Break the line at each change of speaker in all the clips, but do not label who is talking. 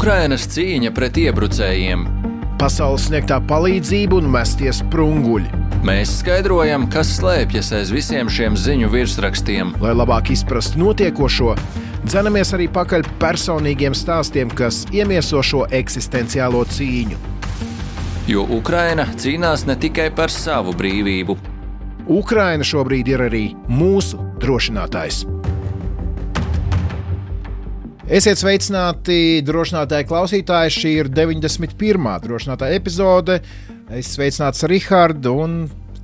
Ukrainas cīņa pret iebrucējiem.
Pasaules sniegtā palīdzība un mestie sprunguļi.
Mēs skaidrojam, kas slēpjas aiz visiem šiem ziņu virsrakstiem.
Lai labāk izprastu notiekošo, dzenamies arī pakaļ personīgiem stāstiem, kas iemieso šo eksistenciālo cīņu.
Jo Ukraina cīnās ne tikai par savu brīvību.
Ukraina šobrīd ir arī mūsu drošinātājs. Esiet sveicināti, drošinātāji klausītāji, šī ir 91. drošinātāja epizode. Es sveicināts Rihardu un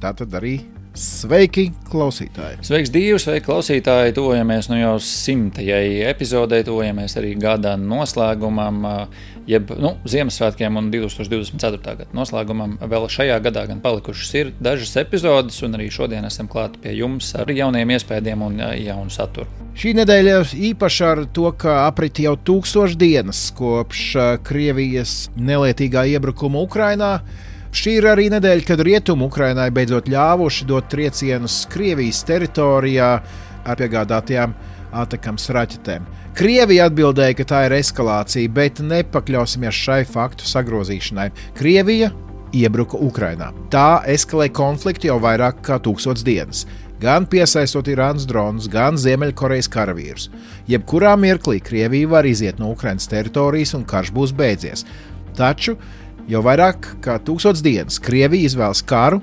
tātad arī sveiki klausītāji.
Sveiks Dīvu, sveiki klausītāji, tuvojamies jau 100. epizodei, tuvojamies arī gada noslēgumam, jeb Ziemassvētkiem un 2024. gada noslēgumam. Vēl šajā gadā gan palikušas ir dažas epizodes, un arī šodien esam klāti pie jums ar jauniem iespējām un jaunu saturu.
Šī nedēļa īpaši ar to, ka aprit jau 1000 dienas kopš Krievijas nelietīgā iebrukuma Ukrainā. Šī ir arī nedēļa, kad Rietumu Ukrainai beidzot ļāvuši dot triecienus Krievijas teritorijā ar piegādātajām Atakams raķetēm. Krievija atbildēja, ka tā ir eskalācija, bet nepakļausimies šai faktu sagrozīšanai. Krievija iebruka Ukrainā. Tā eskalē konfliktu jau vairāk kā 1000 dienas. Gan piesaistot Irānas dronus, gan Ziemeļkorejas karavīrus. Jebkurā mirklī Krievija var iziet no Ukrainas teritorijas un karš būs beidzies. Taču jau vairāk kā 1000 dienas Krievija izvēlas karu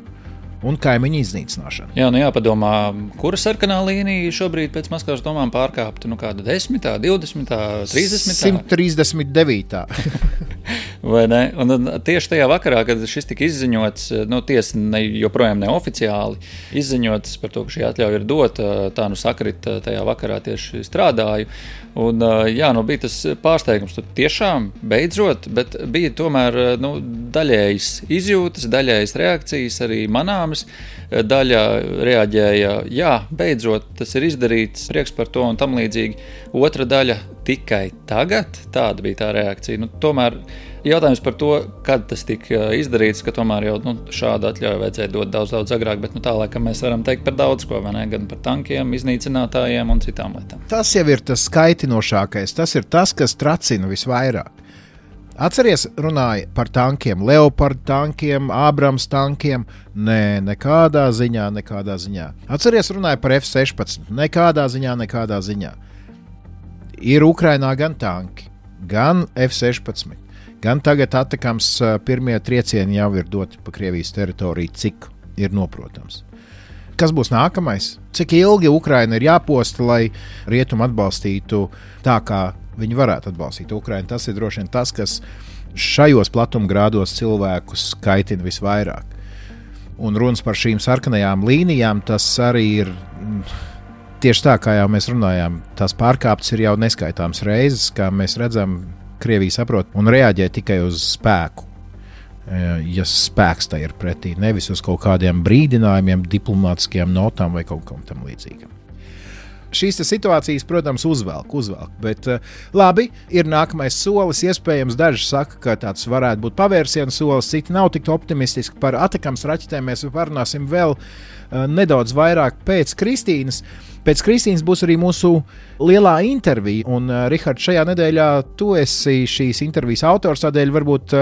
un kaimiņu iznīcināšanu.
Jā, jāpadomā, kura sarkanā līnija šobrīd pēc Maskavas domām pārkāpta? Kāda 10., 20., 30.
139.
Vai ne? Un tieši tajā vakarā, kad šis tika izziņots, tiesa joprojām neoficiāli izziņots par to, ka šī atļauja ir dota, tā sakrit tajā vakarā tieši strādāju. Un bija tas pārsteigums, tiešām beidzot, bet bija tomēr daļējas izjūtas, daļējas reakcijas arī manāmas. Daļa reaģēja, jā, beidzot, tas ir izdarīts, prieks par to un tam līdzīgi. Otra daļa tikai tagad, tāda bija tā reakcija. Tomēr jautājums par to, kad tas tika izdarīts, ka tomēr jau šādu atļauju vajadzēja dot daudz agrāk, bet tā laikam mēs varam teikt par daudz ko, vai ne? Gan par tankiem, iznīcinātājiem un citām lietām.
Tas jau ir tas skaitinošākais, tas ir tas, kas tracina visvairāk. Atceries, runāja par tankiem, Leopard tankiem, Abrams tankiem. Nē, nekādā ziņā. Atceries, runāja par F-16. Nekādā ziņā. Ir Ukrainā gan tanki, gan F-16. Gan tagad Atakams pirmie triecieni jau ir doti pa Krievijas teritoriju, cik ir noprotams. Kas būs nākamais? Cik ilgi Ukraina ir jāposta, lai Rietumi atbalstītu tā, kā viņi varētu atbalstīt Ukrainu? Tas ir droši vien tas, kas šajos platumgrādos cilvēkus kaitina visvairāk. Un runas par šīm sarkanajām līnijām, tas arī ir tieši tā, kā jau mēs runājām. Tās pārkāptas ir jau neskaitāmas reizes, kā mēs redzam, Krievija saprot un reaģē tikai uz spēku. Ja spēks tā ir pretī, nevis uz kaut kādiem brīdinājumiem, diplomātiskajām notām vai kaut kam tam līdzīgam. Šīs situācijas, protams, uzvelk, bet labi, ir nākamais solis. Iespējams, daži saka, ka tāds varētu būt pavērsiena solis, citi nav tik optimistiski. Par Atakams raķetēm mēs parunāsim vēl nedaudz vairāk pēc Kristīnas. Pēc Kristīnas būs arī mūsu lielā intervija, un Rihards, šajā nedēļā tu esi šīs intervijas autors, tādēļ varbūt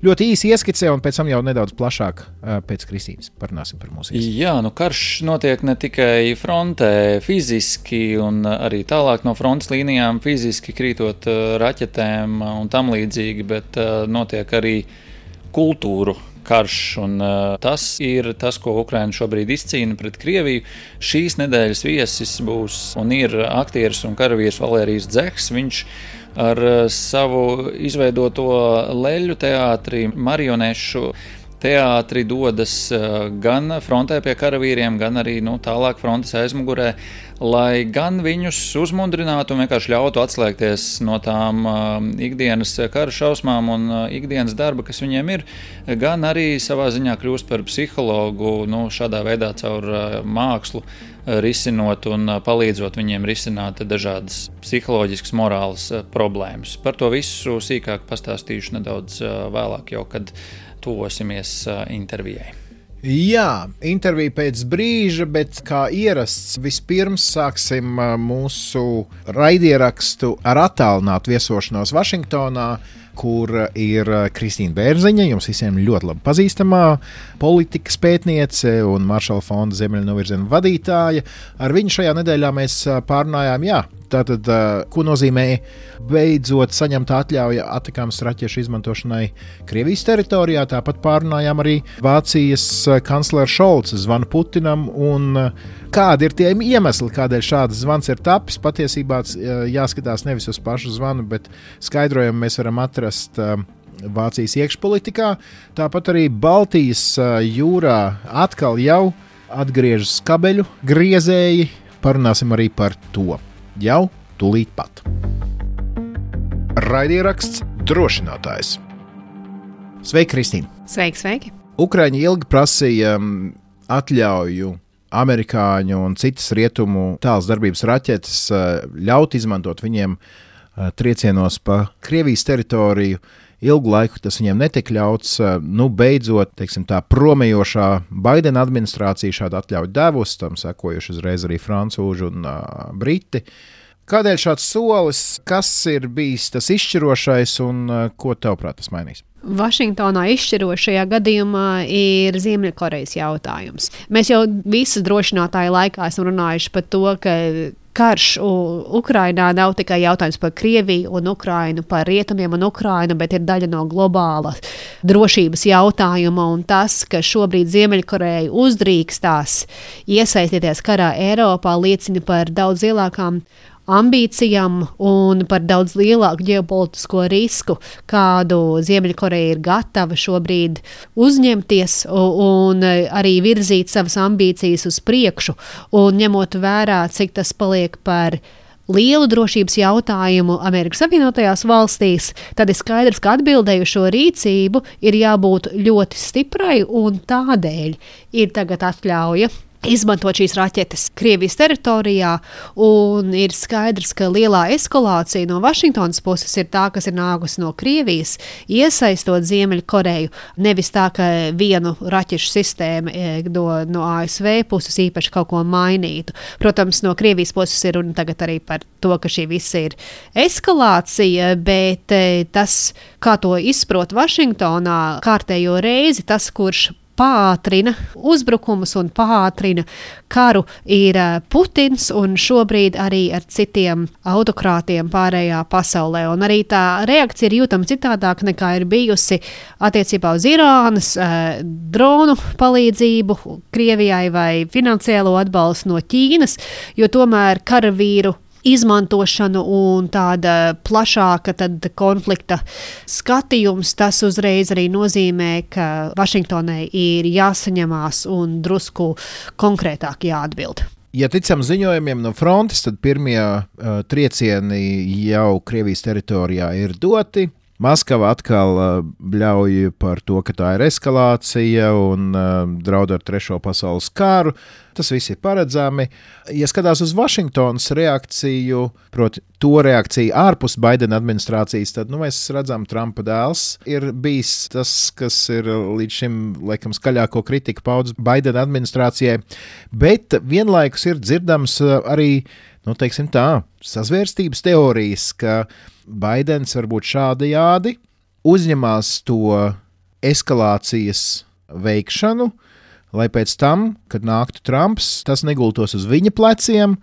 ļoti īsi ieskicē, un pēc tam jau nedaudz plašāk pēc Kristīnas parunāsim par mūsu iespēju.
Jā, karš notiek ne tikai frontē fiziski, un arī tālāk no frontes līnijām fiziski krītot raķetēm un tam līdzīgi, bet notiek arī kultūru karš, un tas ir tas, ko Ukraina šobrīd izcīna pret Krieviju. Šīs nedēļas viesis būs un ir aktieris un karavīrs Valērijs Dzehs. Viņš ar savu izveidoto leļu teātri, marionešu teātri dodas gan frontē pie karavīriem, gan arī tālāk frontes aizmugurē, lai gan viņus uzmundrinātu un vienkārši ļautu atslēgties no tām ikdienas kara šausmām un ikdienas darba, kas viņiem ir, gan arī savā ziņā kļūst par psihologu, šādā veidā caur mākslu risinot un palīdzot viņiem risināt dažādas psiholoģiskas, morālas problēmas. Par to visu sīkāk pastāstīšu nedaudz vēlāk, jau kad tuvosimies intervijai.
Jā, intervija pēc brīža, bet kā ierasts, vispirms sāksim mūsu raidierakstu ar attālinātu viesošanos Vašingtonā, kur ir Kristīna Bērziņa, jums visiem ļoti labi pazīstamā politikas pētniece un Maršala fonda Ziemeļnovirziena vadītāja. Ar viņu šajā nedēļā mēs pārunājām, tātad, ko nozīmē beidzot saņemt atļauju atakāms raķešu izmantošanai Krievijas teritorijā. Tāpat pārunājām arī Vācijas kanclera Šolca zvanu Putinam un kādi ir tie iemesli, kādēļ šāds zvans ir tapis. Patiesībā jāskatās nevis uz pašu zvanu, bet skaidrojumu mēs varam atrast Vācijas iekšpolitikā. Tāpat arī Baltijas jūrā atkal jau atgriežas kabeļu griezēji. Parunāsim arī par to. Jau tūlīt pat. Raidieraksts drošinātājs. Sveiki, Kristīna!
Sveiki!
Ukraiņi ilgi prasīja atļauju amerikāņu un citas rietumu tāls darbības raķetes ļaut izmantot viņiem triecienos pa Krievijas teritoriju. Ilgu laiku tas viņiem netika ļauts. Beidzot, tā promējošā Baidena administrācija šādu atļauju devusi, tam sekojuši uzreiz arī francūži un briti. Kādēļ šāds solis, kas ir bijis tas izšķirošais un ko tavuprāt tas mainīs?
Vašingtonā izšķirošajā gadījumā ir Ziemeļkorejas jautājums. Mēs jau visas drošinātāju laikā esam runājuši par to, ka karš Ukrainā nav tikai jautājums par Krieviju un Ukrainu, par rietumiem un Ukrainu, bet ir daļa no globāla drošības jautājuma. Un tas, ka šobrīd Ziemeļkoreja uzdrīkstās iesaistīties karā Eiropā, liecina par daudz lielākām ambīcijām un par daudz lielāku ģeopolitisko risku, kādu Ziemeļkoreja ir gatava šobrīd uzņemties un arī virzīt savas ambīcijas uz priekšu. Un ņemot vērā, cik tas paliek par lielu drošības jautājumu Amerikas Savienotajās valstīs, tad ir skaidrs, ka atbildēju šo rīcību ir jābūt ļoti stiprai un tādēļ ir tagad atļauja izmantot šīs raķetes Krievijas teritorijā, un ir skaidrs, ka lielā eskalācija no Vašingtonas puses ir tā, kas ir nākusi no Krievijas, iesaistot Ziemeļkoreju, nevis tā, ka vienu raķešu sistēmu no ASV puses īpaši kaut ko mainītu. Protams, no Krievijas puses ir runa tagad arī par to, ka šī visa ir eskalācija, bet tas, kā to izprot Vašingtonā kārtējo reizi, tas, kurš pātrina uzbrukumus un pātrina karu, ir Putins un šobrīd arī ar citiem autokrātiem pārējā pasaulē. Un arī tā reakcija ir jūtama citādāk nekā ir bijusi attiecībā uz Irānas dronu palīdzību Krievijai vai finansiālo atbalstu no Ķīnas, jo tomēr karavīru izmantošanu un tāda plašāka konflikta skatījums, tas uzreiz arī nozīmē, ka Vašingtonai ir jāsaņemās un drusku konkrētāk jāatbild.
Ja ticam ziņojumiem no frontes, tad pirmie triecieni jau Krievijas teritorijā ir doti. Maskava atkal bļauj par to, ka tā ir eskalācija un draud ar trešo pasaules kāru. Tas viss ir paredzami. Ja skatās uz Vašingtonas reakciju, proti to reakciju ārpus Baidena administrācijas, tad mēs redzam, Trumpa dēls ir bijis tas, kas ir līdz šim laikam skaļāko kritiku paudz Baidena administrācijai, bet vienlaikus ir dzirdams arī, sazvērstības teorijas, ka Baidens varbūt šādajādi uzņemās to eskalācijas veikšanu, lai pēc tam, kad nāktu Trumps, tas negultos uz viņa pleciem,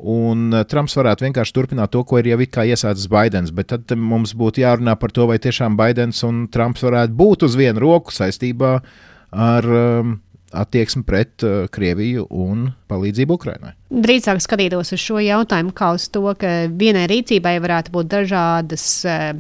un Trumps varētu vienkārši turpināt to, ko ir jau it kā iesācis Baidens. Bet tad mums būtu jārunā par to, vai tiešām Baidens un Trumps varētu būt uz vienu roku saistībā ar attieksmi pret Krieviju un palīdzību Ukrainai.
Drīzāk skatītos uz šo jautājumu kā uz to, ka vienai rīcībai varētu būt dažādas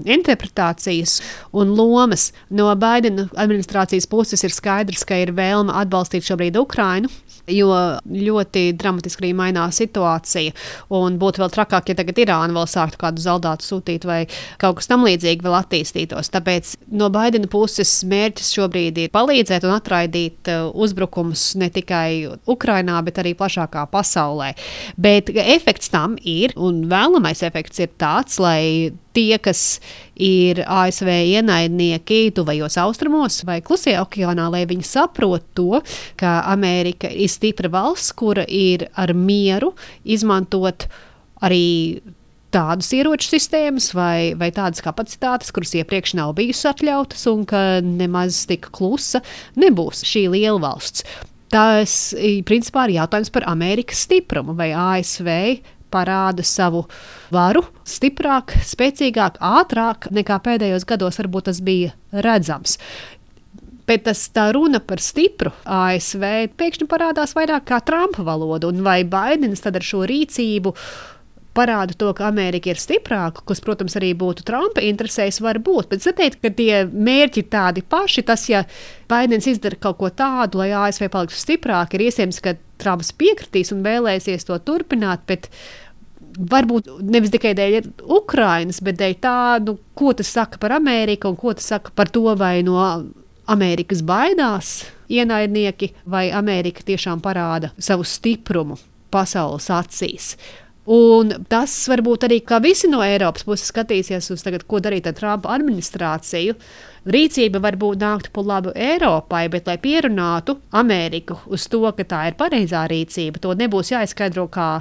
interpretācijas un lomas. No Baidena administrācijas puses ir skaidrs, ka ir vēlme atbalstīt šobrīd Ukrainu, jo ļoti dramatiski arī mainās situācija. Un būtu vēl trakāk, ja tagad Irāna vēl sāktu kādu zaldātu sūtīt vai kaut kas tam līdzīgi vēl attīstītos. Tāpēc no Baidena puses mērķis šobrīd ir palīdzēt un atraidīt uzbrukumus ne tikai Ukrainā, bet arī plašākā pasaulē. pasaulē. Bet efekts tam ir, un vēlamais efekts ir tāds, lai tie, kas ir ASV ienaidnieki tuvajos austrumos vai Klusajā okeānā, lai viņi saprot to, ka Amerika ir stipra valsts, kura ir ar mieru izmantot arī tādas ieroču sistēmas vai tādas kapacitātes, kuras iepriekš nav bijusi atļautas un ka nemaz tik klusa nebūs šī liela valsts. Tas, principā, ir jautājums par Amerikas stiprumu, vai ASV parāda savu varu stiprāk, spēcīgāk, ātrāk nekā pēdējos gados varbūt tas bija redzams. Bet tā runa par stipru ASV pēkšņi parādās vairāk kā Trumpa valoda, un vai Baidens tad ar šo rīcību parāda to, ka Amerika ir stiprāka, kas, protams, arī būtu Trumpa interesēs, var būt. Bet es teiktu, ka tie mērķi ir tādi paši. Tas, ja Baidens izdara kaut ko tādu, lai ASV paliktu stiprāk, ir iespējams, ka Trumps piekritīs un vēlēsies to turpināt, bet varbūt nevis tikai dēļ Ukrainas, bet dēļ tā, ko tas saka par Ameriku un ko tas saka par to, vai no Amerikas baidās ienaidnieki, vai Amerika tiešām parāda savu stiprumu pasaules acīs. Un tas varbūt arī, kā visi no Eiropas puses skatīsies uz tagad, ko darīt ar Trumpa administrāciju. Rīcība varbūt nāktu par labu Eiropai, bet lai pierunātu Ameriku uz to, ka tā ir pareizā rīcība, to nebūs jāizskaidro kā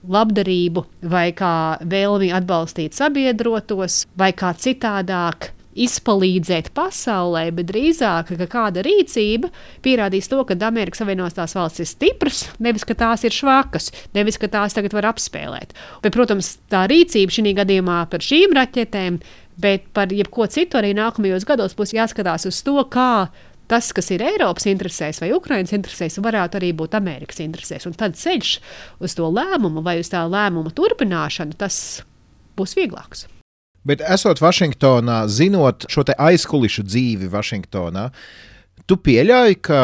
labdarību vai kā vēlmi atbalstīt sabiedrotos vai kā citādāk izpalīdzēt pasaulē, bet drīzāk, ka kāda rīcība pierādīs to, ka Amerikas Savienotās valstis ir stipras, nevis, ka tās ir švakas, nevis, ka tās tagad var apspēlēt. Bet, protams, tā rīcība šī gadījumā par šīm raķetēm, bet par jebko citu arī nākamajos gados būs jāskatās uz to, kā tas, kas ir Eiropas interesēs vai Ukrainas interesēs, varētu arī būt Amerikas interesēs. Un tad ceļš uz to lēmumu vai uz tā lēmuma turpināšanu, tas būs vieglāks.
Bet esot Vašingtonā, zinot šo te aizkulišu dzīvi Vašingtonā, tu pieļauj, ka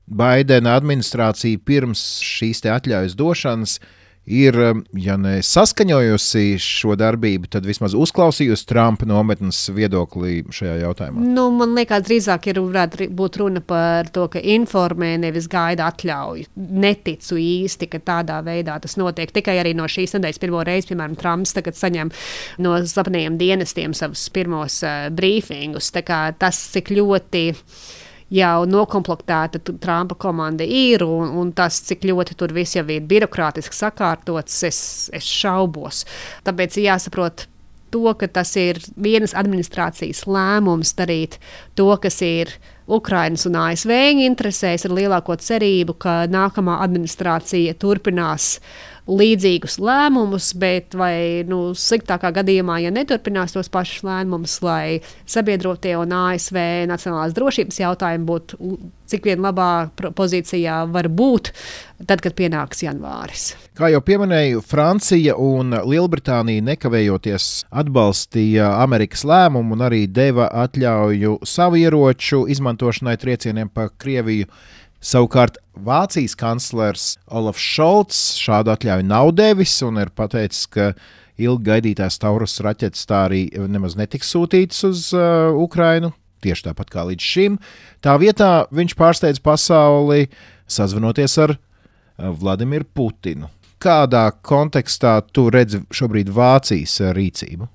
Baidena administrācija pirms šīs te atļaujas došanas ir, ja ne saskaņojusi šo darbību, tad vismaz uzklausījusi Trumpa nometnes viedoklī šajā jautājumā?
Man liekas, drīzāk varētu būt runa par to, ka informē, nevis gaida atļauju. Neticu īsti, ka tādā veidā tas notiek. Tikai arī no šīs nedēļas pirmo reizi, piemēram, Trumps tagad saņem no slepenajiem dienestiem savus pirmos brīfingus. Tā kā tas, cik ļoti jau nokomplektēta Trumpa komanda ir, un tas, cik ļoti tur viss jau ir birokrātiski sakārtots, es šaubos. Tāpēc jāsaprot to, ka tas ir vienas administrācijas lēmums darīt to, kas ir Ukrainas un ASV interesēs, ar lielāko cerību, ka nākamā administrācija turpinās līdzīgus lēmumus, bet vai sliktākā gadījumā, ja neturpinās tos pašus lēmumus, lai sabiedrotie un ASV nacionālās drošības jautājumi būtu cik vien labā pozīcijā var būt, tad, kad pienāks janvāris.
Kā jau pieminēju, Francija un Lielbritānija nekavējoties atbalstīja Amerikas lēmumu un arī deva atļauju savu ieroču izmantošanai triecieniem pa Krieviju. Savukārt Vācijas kanclers Olafs Šolts šādu atļauju nav devis un ir pateicis, ka ilgi gaidītās Taurus raķetes tā arī nemaz netiks sūtītas uz Ukrainu, tieši tāpat kā līdz šim. Tā vietā viņš pārsteidz pasauli sazvanoties ar Vladimiru Putinu. Kādā kontekstā tu redzi šobrīd Vācijas rīcību?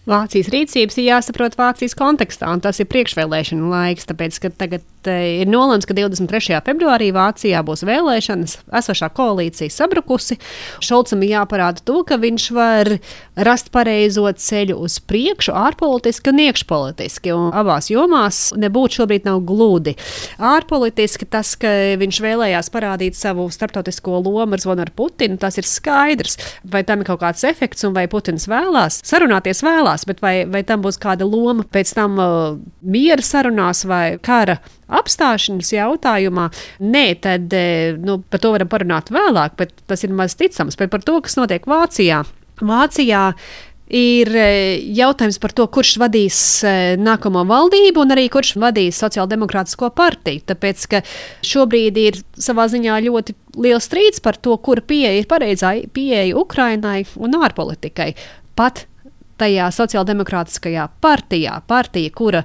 Vācijas rīcības ir jāsaprot Vācijas kontekstā, un tas ir priekšvēlēšanu laiks, tāpēc, ka tagad ir nolēmts, ka 23. februārī Vācijā būs vēlēšanas, esošā koalīcija sabrukusi. Šolcam ir jāparāda to, ka viņš var rast pareizo ceļu uz priekšu, ārpolitiski un iekšpolitiski, un abās jomās nebūtu šobrīd nav gludi. Ārpolitiski tas, ka viņš vēlējās parādīt savu starptautisko lomu ar zvanu ar Putinu, tas ir skaidrs. Vai tam ir kaut kāds efekts, un vai Putins vēlās sarunāties vēlās, bet vai tam būs kāda loma pēc tam miera sarunās vai kara apstāšanas jautājumā? Nē, tad par to varam parunāt vēlāk, bet tas ir maz ticams. Bet par to, kas notiek Vācijā. Vācijā ir jautājums par to, kurš vadīs nākamo valdību un arī kurš vadīs Sociāldemokrātisko partiju. Tāpēc, ka šobrīd ir savā ziņā ļoti liels strīds par to, kura pieeja ir pareizā pieeja Ukrainai un ārpolitikai. Pat tajā Sociāldemokrātiskajā partija, kura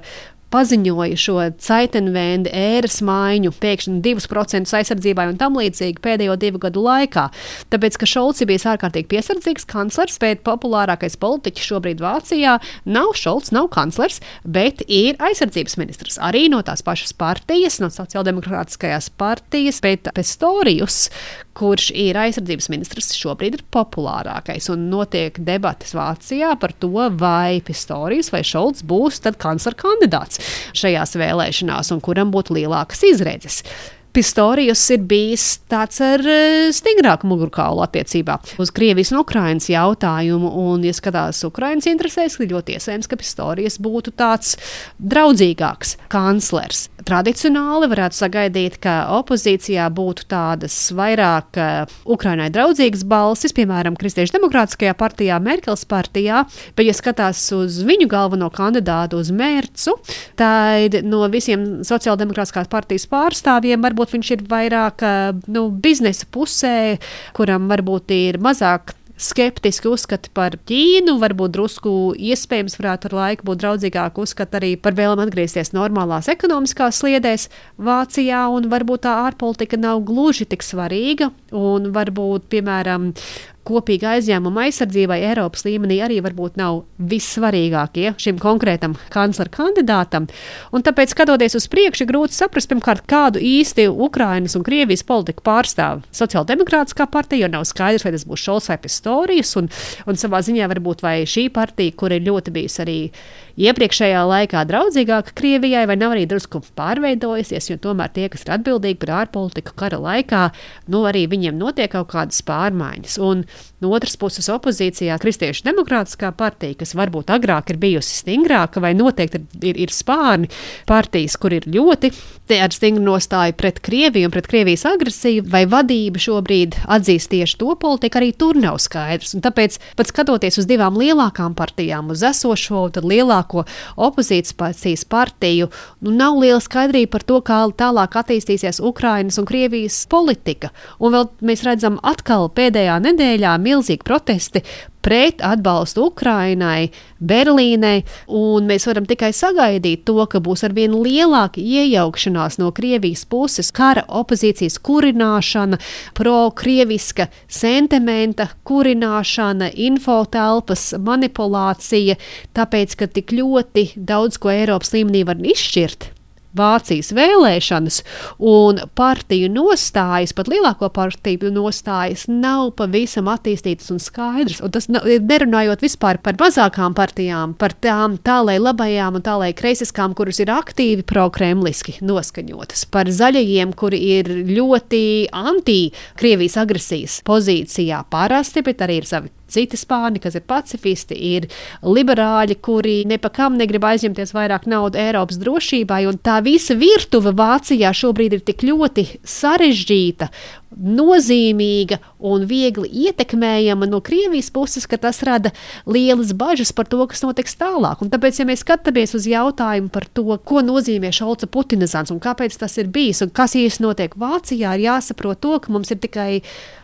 paziņoja šo Zeitenwende ēras maiņu, pēkšņi 2% aizsardzībai un tam līdzīgi pēdējo 2 gadu laikā. Tāpēc, ka Šolts ir bijis ārkārtīgi piesardzīgs kanclers, bet populārākais politiķis šobrīd Vācijā nav Šolts, nav kanclers, bet ir aizsardzības ministrs. Arī no tās pašas partijas, no sociāldemokrātiskajās partijas, bet Pistorius, kurš ir aizsardzības ministrs, šobrīd ir populārākais. Un notiek debates Vācijā par to, vai Pistorius vai Šolts būs tad kanclera kandidāts šajās vēlēšanās un kuram būtu lielākas izredzes. Pistorius ir bijis tāds ar stingrāku mugurkaulu attiecībā uz Krievijas un Ukrainas jautājumu, un, ja skatās Ukrainas interesēs, ir ļoti iespējams, ka Pistorius būtu tāds draudzīgāks kanclers. Tradicionāli varētu sagaidīt, ka opozīcijā būtu tādas vairāk Ukrainai draudzīgas balsis, piemēram, Kristiešu demokrātiskajā partijā, Merkels partijā, bet, ja skatās uz viņu galveno kandidātu, uz Mercu, tad no visiem sociāldemokrātiskās partijas pārstāvjiem varbūt viņš ir vairāk biznesa pusē, kuram varbūt ir mazāk skeptiski uzskati par Ķīnu, varbūt drusku iespējams varētu ar laiku būt draudzīgāk uzskati arī par vēlam atgriezties normālās ekonomiskās sliedēs Vācijā, un varbūt tā ārpolitika nav gluži tik svarīga, un varbūt, piemēram, kopīga aizņēmuma aizsardzībai Eiropas līmenī arī varbūt nav vissvarīgākie šim konkrētam kanclera kandidātam. Un tāpēc, skatoties uz priekšu, ir grūti saprast, pirmkārt, kādu īsti Ukrainas un Krievijas politiku pārstāv Sociāldemokrātiskā partija, jo nav skaidrs, vai tas būs Šolts vai Pistorius, un savā ziņā varbūt vai šī partija, kur ir ļoti bijusi arī iepriekšējā laikā draudzīgāka Krievijai, vai nav arī drusku pārveidojusies, jo tomēr tie, kas ir atbildīgi par ārpolitiku kara laikā, arī viņiem notiek kaut kādas pārmaiņas. Un no otras puses opozīcijā Kristiešu demokrātiskā partija, kas varbūt agrāk ir bijusi stingrāka, vai noteikti ir spārni partijas, kur ir ļoti ar stingru nostāju pret Krieviju un pret Krievijas agresiju, vai vadība šobrīd atzīst tieši to politiku, arī tur nav skaidrs. Un tāpēc, pat skatoties uz 2 lielākām partijām, uz esošo, tad lielāko opozīcijas partiju, nav liela skaidrība par to, kā tālāk attīstīsies Ukrainas un Krievijas politika. Un vēl mēs redzam atkal pēdējā nedēļā milzīgi protesti pret atbalstu Ukrainai, Berlīnei, un mēs varam tikai sagaidīt to, ka būs arvien lielāka iejaukšanās no Krievijas puses, kara opozīcijas kurināšana, pro-krieviska sentimenta kurināšana, infotelpas manipulācija, tāpēc, ka tik ļoti daudz ko Eiropas līmenī var izšķirt Vācijas vēlēšanas, un partiju nostājas, pat lielāko partiju nostājas, nav pavisam attīstītas un skaidras. Un tas nerunājot vispār par mazākām partijām, par tām tālai labajām un tālai kreisiskām, kuras ir aktīvi pro-kremliski noskaņotas, par zaļajiem, kuri ir ļoti anti-Krievijas agresijas pozīcijā parasti, bet arī ir savi citi spārni, kas ir pacifisti, ir liberāļi, kuri nepakam negrib aizņemties vairāk naudu Eiropas drošībai, un tā visa virtuve Vācijā šobrīd ir tik ļoti sarežģīta, nozīmīga un viegli ietekmējama no Krievijas puses, ka tas rada lielas bažas par to, kas notiks tālāk. Un tāpēc, ja mēs skatāmies uz jautājumu par to, ko nozīmē Šolca putinizants un kāpēc tas ir bijis un kas īsti notiek Vācijā, ir jāsaprot to, ka mums ir tikai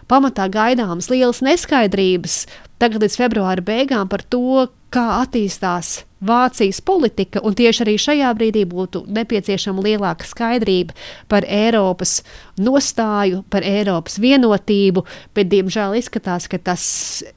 pamatā gaidāmas lielas neskaidrības tagad līdz februāra beigām par to, kā attīstās Vācijas politika, un tieši arī šajā brīdī būtu nepieciešama lielāka skaidrība par Eiropas nostāju, par Eiropas vienotību, bet, diemžēl, izskatās, ka tas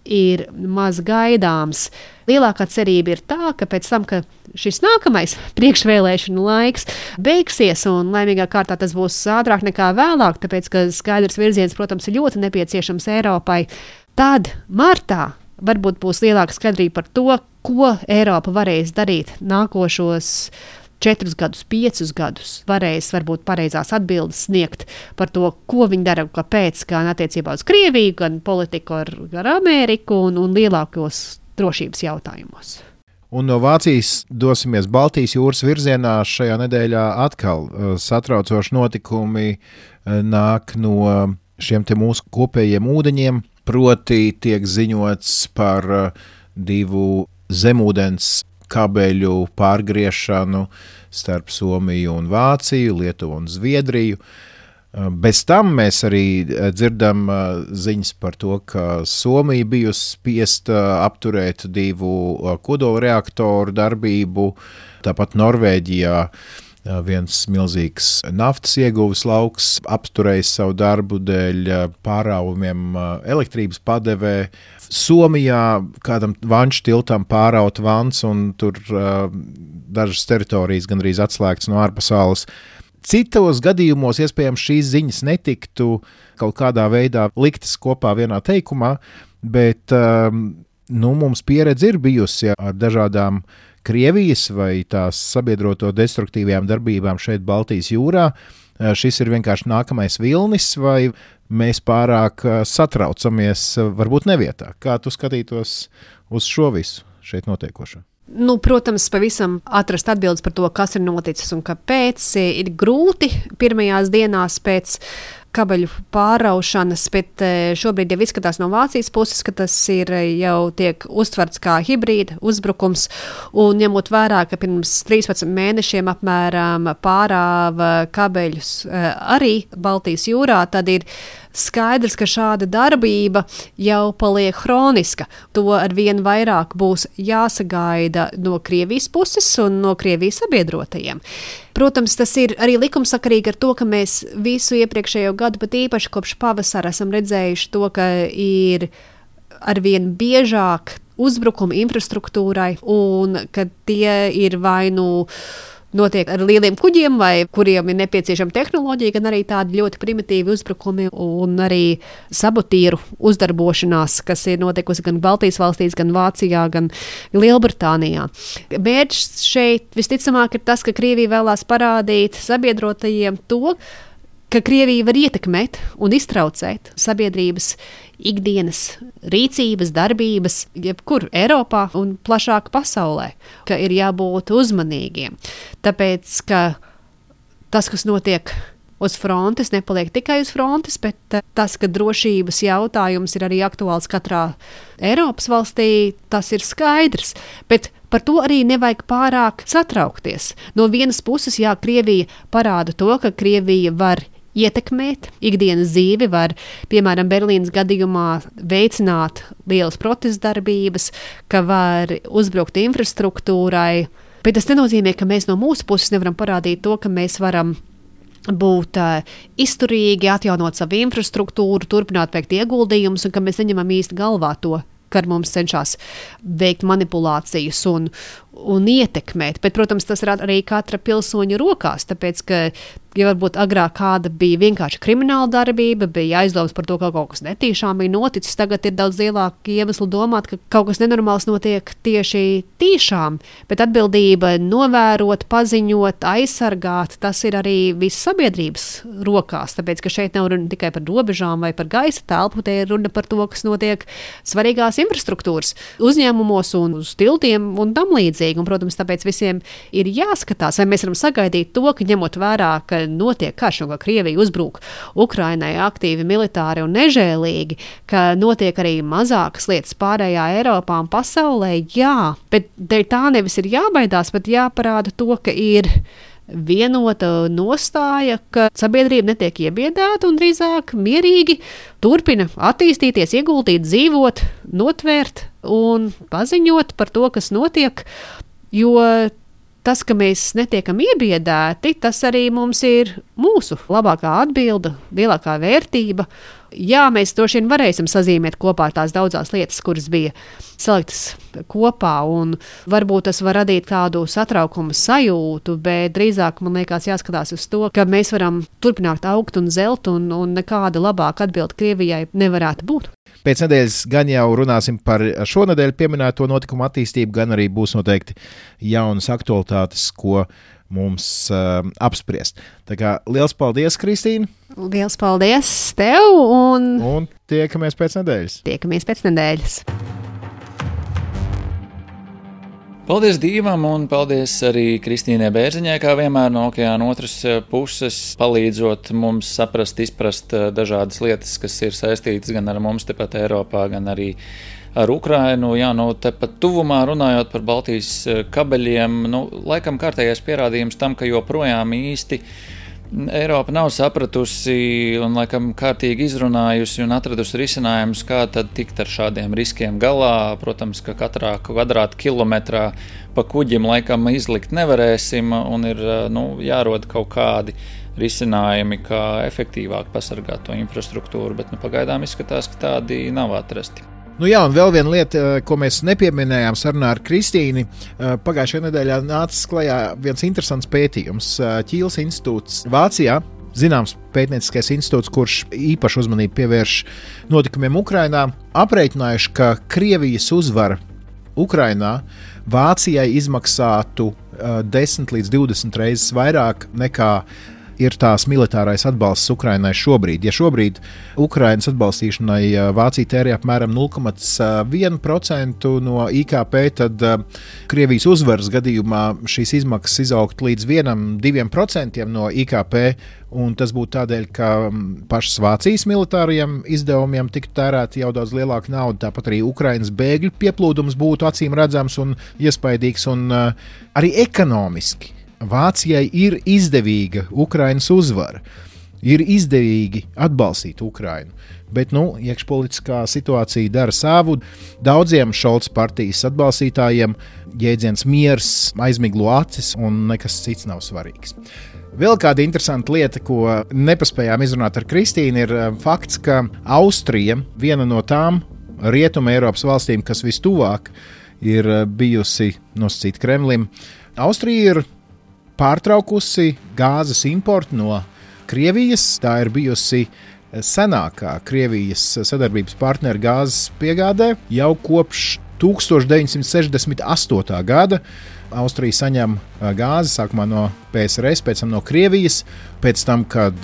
ir maz gaidāms. Lielākā cerība ir tā, ka pēc tam, ka šis nākamais priekšvēlēšanu laiks beigsies, un laimīgā kārtā tas būs ātrāk nekā vēlāk, tāpēc, ka skaidrs virziens, protams, ir ļoti nepieciešams Eiropai, tad martā varbūt būs lielāka skaidrība par to, ko Eiropa varēs darīt nākošos 4 gadus, 5 gadus. Varēs varbūt pareizās atbildes sniegt par to, ko viņi dara, kāpēc, gan attiecībā uz Krieviju, gan politiku ar Ameriku un lielākos drošības jautājumos.
Un no Vācijas dosimies Baltijas jūras virzienā. Šajā nedēļā atkal satraucoši notikumi nāk no šiem te mūsu kopējiem ūdeņiem. Proti tiek ziņots par 2 zemūdens kabeļu pārgriešanu starp Somiju un Vāciju, Lietuvu un Zviedriju. Bez tam mēs arī dzirdam ziņas par to, ka Somija bijusi spiesta apturēt 2 kodolreaktoru darbību, tāpat Norvēģijā viens milzīgs naftas ieguves lauks apturējis savu darbu dēļ pārāvumiem elektrības padevē. Somijā kādam vanšu tiltam pāraut vans un tur dažas teritorijas gandrīz atslēgtas no ārpasaules. Citos gadījumos iespējams šīs ziņas netiktu kaut kādā veidā liktas kopā vienā teikumā, bet mums pieredze ir bijusi ar dažādām Krievijas vai tās sabiedroto destruktīvajām darbībām šeit Baltijas jūrā. Šis ir vienkārši nākamais vilnis, vai mēs pārāk satraucamies, varbūt nevietā. Kā tu skatītos uz šo visu šeit notiekošo?
Protams, pavisam atrast atbildes par to, kas ir noticis un kāpēc. Ir grūti pirmajās dienās pēc kabeļu pāraušanas, bet šobrīd jau izskatās no Vācijas puses, ka tas ir jau tiek uztverts kā hibrīda uzbrukums. Un ņemot vērā, ka pirms 13 mēnešiem apmēram pārāva kabeļus arī Baltijas jūrā, tad ir skaidrs, ka šāda darbība jau paliek hroniska. To arvien vairāk būs jāsagaida no Krievijas puses un no Krievijas sabiedrotajiem. Protams, tas ir arī likumsakarīgi ar to, ka mēs visu iepriekšējo gadu, pat īpaši kopš pavasara, esam redzējuši to, ka ir arvien biežāk uzbrukumi infrastruktūrai un ka tie ir vai notiek ar lieliem kuģiem, vai kuriem ir nepieciešama tehnoloģija, gan arī tādi ļoti primitīvi uzbrukumi un arī sabotīru uzdarbošanās, kas ir notikusi gan Baltijas valstīs, gan Vācijā, gan Lielbritānijā. Mērķis šeit visticamāk ir tas, ka Krievija vēlās parādīt sabiedrotajiem to, ka Krievija var ietekmēt un iztraucēt sabiedrības ikdienas rīcības, darbības, jebkur Eiropā un plašāk pasaulē, ka ir jābūt uzmanīgiem. Tāpēc, ka tas, kas notiek uz frontes, nepaliek tikai uz frontes, bet tas, ka drošības jautājums ir arī aktuāls katrā Eiropas valstī, tas ir skaidrs. Bet par to arī nevajag pārāk satraukties. No vienas puses, jā, Krievija parāda to, ka Krievija var ietekmēt ikdienas dzīvi, var, piemēram, Berlīnas gadījumā veicināt lielas protestdarbības, ka var uzbrukt infrastruktūrai, bet tas nenozīmē, ka mēs no mūsu puses nevaram parādīt to, ka mēs varam būt izturīgi, atjaunot savu infrastruktūru, turpināt veikt ieguldījumus un ka mēs neņemam īsti galvā to, ka ar mums cenšas veikt manipulācijas un ietekmēt. Bet, protams, tas ir arī katra pilsoņa rokās, tāpēc, ka ja varbūt agrāk kāda bija vienkārši krimināla darbība, bija aizdomas par to, ka kaut kas netīšām bija noticis, tagad ir daudz lielāka iemesla domāt, ka kaut kas nenormāls notiek tieši tīšām, bet atbildība novērot, paziņot, aizsargāt, tas ir arī visas sabiedrības rokās, tāpēc, ka šeit nav runa tikai par robežām vai par gaisa telpu, te ir runa par to, kas notiek svarīgās infrastruktūras uzņēmumos un uz tiltiem un tam līdzīgi, un, protams, tāpēc visiem ir jāskatās, vai mēs varam sagaidīt to, ka ņemot vērā, ka notiek karš un ka Krievija uzbruk Ukrainai aktīvi, militāri un nežēlīgi, ka notiek arī mazākas lietas pārējā Eiropā un pasaulē, jā, bet dēļ tā nevis ir jābaidās, bet jāparāda to, ka ir vienota nostāja, ka sabiedrība netiek iebiedēta un drīzāk mierīgi turpina attīstīties, ieguldīt, dzīvot, notvērt un paziņot par to, kas notiek, jo tas, ka mēs netiekam iebiedēti, tas arī mums ir mūsu labākā atbilde, lielākā vērtība. Jā, mēs droši vien varēsim sazīmēt kopā tās daudzās lietas, kuras bija saliktas kopā, un varbūt tas var radīt kādu satraukumu sajūtu, bet drīzāk, man liekas, jāskatās uz to, ka mēs varam turpināt augt un zelt, un nekāda labāka atbilde Krievijai nevarētu būt.
Pēc nedēļas gan jau runāsim par šonedēļ pieminēto notikumu attīstību, gan arī būs noteikti jaunas aktualitātes, ko mums apspriest. Tā kā liels paldies, Kristīna!
Liels paldies tev!
Un tiekamies pēc nedēļas!
Tiekamies pēc nedēļas!
Paldies Dīvam un paldies arī Kristīnai Bērziņai, kā vienmēr no okeāna otras puses, palīdzot mums saprast, izprast dažādas lietas, kas ir saistītas gan ar mums tepat Eiropā, gan arī ar Ukrainu. Jā, tepat tuvumā runājot par Baltijas kabeļiem, laikam kārtējais pierādījums tam, ka joprojām īsti Eiropa nav sapratusi un laikam kārtīgi izrunājusi un atradusi risinājumus, kā tad tikt ar šādiem riskiem galā. Protams, ka katrā kvadrātkilometrā pa kuģim laikam izlikt nevarēsim un ir jārod kaut kādi risinājumi, kā efektīvāk pasargāt to infrastruktūru, bet pagaidām izskatās, ka tādi nav atrasti.
Jā, un vēl viena lieta, ko mēs nepieminējām sarunā ar Kristīni. Pagājušajā nedēļā nācis klajā viens interesants pētījums. Ķīles institūts Vācijā, zināms pētnieciskais institūts, kurš īpašu uzmanību pievērš notikumiem Ukrainā, aprēķinājuši, ka Krievijas uzvara Ukrainā Vācijai izmaksātu 10 līdz 20 reizes vairāk nekā ir tās militārais atbalsts Ukrainai šobrīd. Ja šobrīd Ukrainas atbalstīšanai Vācija tērē apmēram 0,1% no IKP, tad Krievijas uzvaras gadījumā šīs izmaksas izaugt līdz 1–2% no IKP, un tas būtu tādēļ, ka pašas Vācijas militārajiem izdevumiem tiktu tērēta jau daudz lielāka nauda, tāpat arī Ukrainas bēgļu pieplūdums būtu acīm redzams un iespaidīgs, un arī ekonomiski. Vācijai ir izdevīga Ukrainas uzvara, ir izdevīgi atbalstīt Ukrainu, bet iekšpolitiskā situācija dara savu. Daudziem Šolca partijas atbalstītājiem jēdziens miers aizmiglo acis un nekas cits nav svarīgs. Vēl kāda interesanta lieta, ko nepaspējām izrunāt ar Kristīnu, ir fakts, ka Austrija, viena no tām Rietuma Eiropas valstīm, kas vistuvāk ir bijusi nosacīta Kremlim, Austrija ir pārtraukusi gāzes importu no Krievijas. Tā ir bijusi senākā Krievijas sadarbības partnera gāzes piegādē jau kopš 1968. gada. Austrija saņem gāzi sākumā no PSRS, pēc tam no Krievijas, pēc tam, kad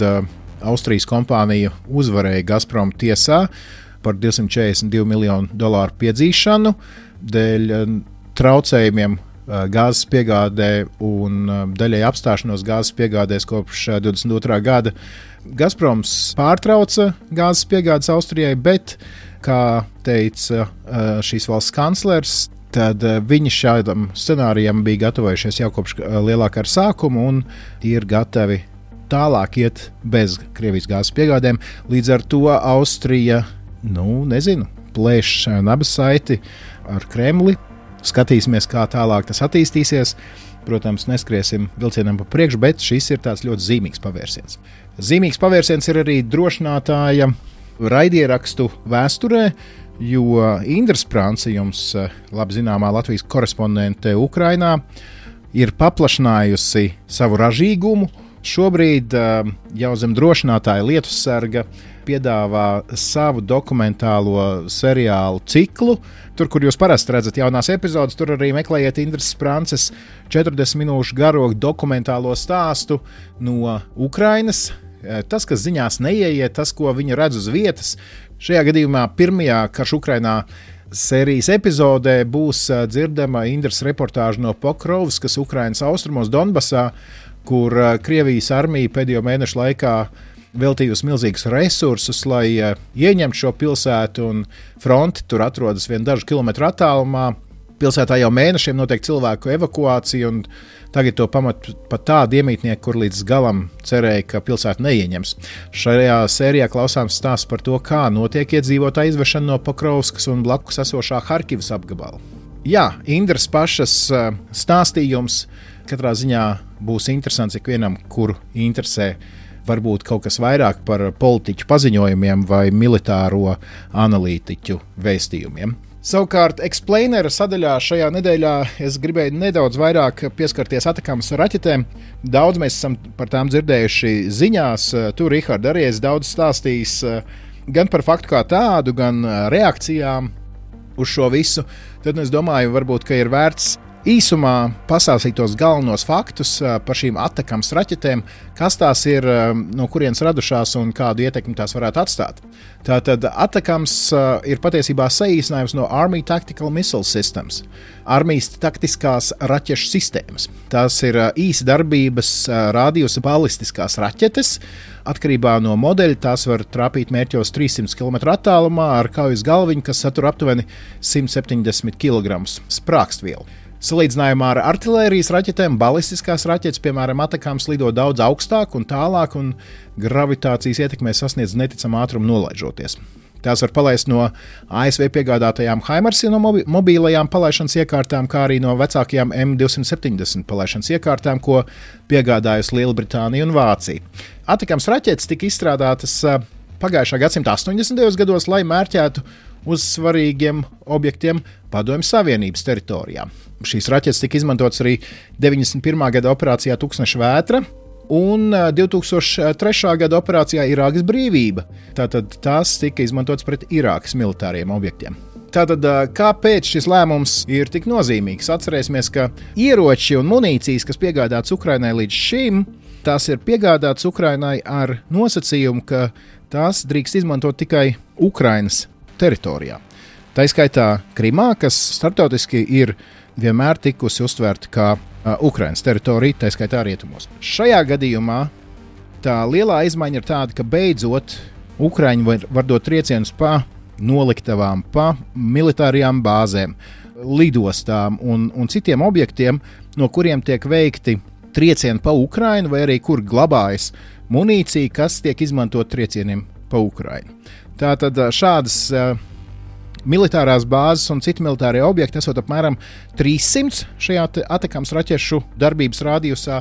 Austrijas kompānija uzvarēja Gazprom tiesā par $242 miljonu piedzīšanu dēļ traucējumiem gāzes piegādē un daļai apstāšanos gāzes piegādēs kopš 22. gada. Gazproms pārtrauca gāzes piegādes Austrijai, bet, kā teica šīs valsts kanclers, tad viņi šādam scenārijam bija gatavojušies jau kopš lielā kara sākuma un ir gatavi tālāk iet bez Krievijas gāzes piegādēm. Līdz ar to Austrija, plēš nabas saiti ar Kremli. Skatīsimies, kā tālāk tas attīstīsies. Protams, neskriesim vilcienam pa priekšu, bet šis ir tāds ļoti zīmīgs pavērsiens. Zīmīgs pavērsiens ir arī drošinātāja raidierakstu vēsturē, jo Indra Sprance, jums labi zināmā Latvijas korespondente Ukrainā, ir paplašinājusi savu ražīgumu. Šobrīd jau zem drošinātāja Lietussarga piedāvā savu dokumentālo seriālu ciklu. Tur, kur jūs parasti redzat jaunās epizodes, tur arī meklējiet Indras Sprances 40 minūšu garo dokumentālo stāstu no Ukrainas. Tas, kas ziņās neieiet, tas, ko viņa redz uz vietas. Šajā gadījumā pirmajā Karš Ukrainā sērijas epizodē būs dzirdama Indras reportāža no Pokrovskas, Ukrainas austrumos Donbasā, kur Krievijas armija pēdējo mēnešu laikā veltījusi milzīgus resursus, lai ieņemtu šo pilsētu, un fronti tur atrodas vien dažu kilometru attālumā. Pilsētā jau mēnešiem notiek cilvēku evakuācija, un tagad to pamat pat tādi iemītnieki, kur līdz galam cerēja, ka pilsētu neieņems. Šajā sērijā klausāms stāsts par to, kā notiek iedzīvotāju izvešana no Pokrovskas un blakus esošā Harkivas apgabala. Jā, Indras pašas stāstījums katrā ziņā būs interesants ikvienam, kuru interesē varbūt kaut kas vairāk par politiķu paziņojumiem vai militāro analītiķu vēstījumiem. Savukārt, Explainer sadaļā šajā nedēļā es gribēju nedaudz vairāk pieskarties atakām ar raķetēm. Daudz mēs esam par tām dzirdējuši ziņās. Tu, Rihard, arī esi daudz stāstījis gan par faktu kā tādu, gan reakcijām uz šo visu. Tad es domāju, varbūt, ka ir vērts īsumā pastāstīt tos galvenos faktus par šīm atakām ar raķetēm, kas tās ir, no kurienes radušās un kādu ietekmi tās varētu atstāt. Tātad atakams ir patiesībā saīsinājums no Army Tactical Missile Systems, armijas taktiskās raķešu sistēmas. Tās ir īsa darbības rādījusa balistiskās raķetes. Atkarībā no modeļa tās var trāpīt mērķos 300 km attālumā ar kaujas galviņu, kas satur aptuveni 170 kg sprākstvielu. Salīdzinājumā ar artilērijas raķetēm, balistiskās raķetes, piemēram, atakāms lido daudz augstāk un tālāk, un gravitācijas ietekmē sasniedz neticamu ātrumu nolaižoties. Tās var palaist no ASV piegādātajām HIMARS no mobīlajām palaišanas iekārtām, kā arī no vecākajām M270 palaišanas iekārtām, ko piegādājusi Lielbritānija un Vācija. Atakāms raķetes tika izstrādātas pagājušā gadsimta 80. gados, lai mērķētu uz svarīgiem objektiem Padomju Savienības teritorijā. Šīs raķetes tika izmantotas arī 91. gada operācijā Tūkstneša vētra un 2003. gada operācijā Irākas brīvība. Tātad tās tika izmantotas pret Irākas militāriem objektiem. Tātad, kāpēc šis lēmums ir tik nozīmīgs? Atcerēsimies, ka ieroči un munīcijas, kas piegādātas Ukrainai līdz šim, tās ir piegādātas Ukrainai ar nosacījumu, ka tās drīkst izmantot tikai Ukrainas teritorijā. Tā izskaitā Krimā, kas starptautiski ir vienmēr tikusi uztvērta kā Ukrainas teritorija, tā izskaitā rietumos. Šajā gadījumā tā lielā izmaiņa ir tāda, ka beidzot Ukraiņi var dot triecienus pa noliktavām, pa militārajām bāzēm, lidostām un citiem objektiem, no kuriem tiek veikti triecieni pa Ukrainu vai arī kur glabājas munīcija, kas tiek izmantot triecieniem pa Ukrainu. Tātad šādas militārās bāzes un citi militārie objekti esot apmēram 300 šajā atakāms raķešu darbības rādījusā.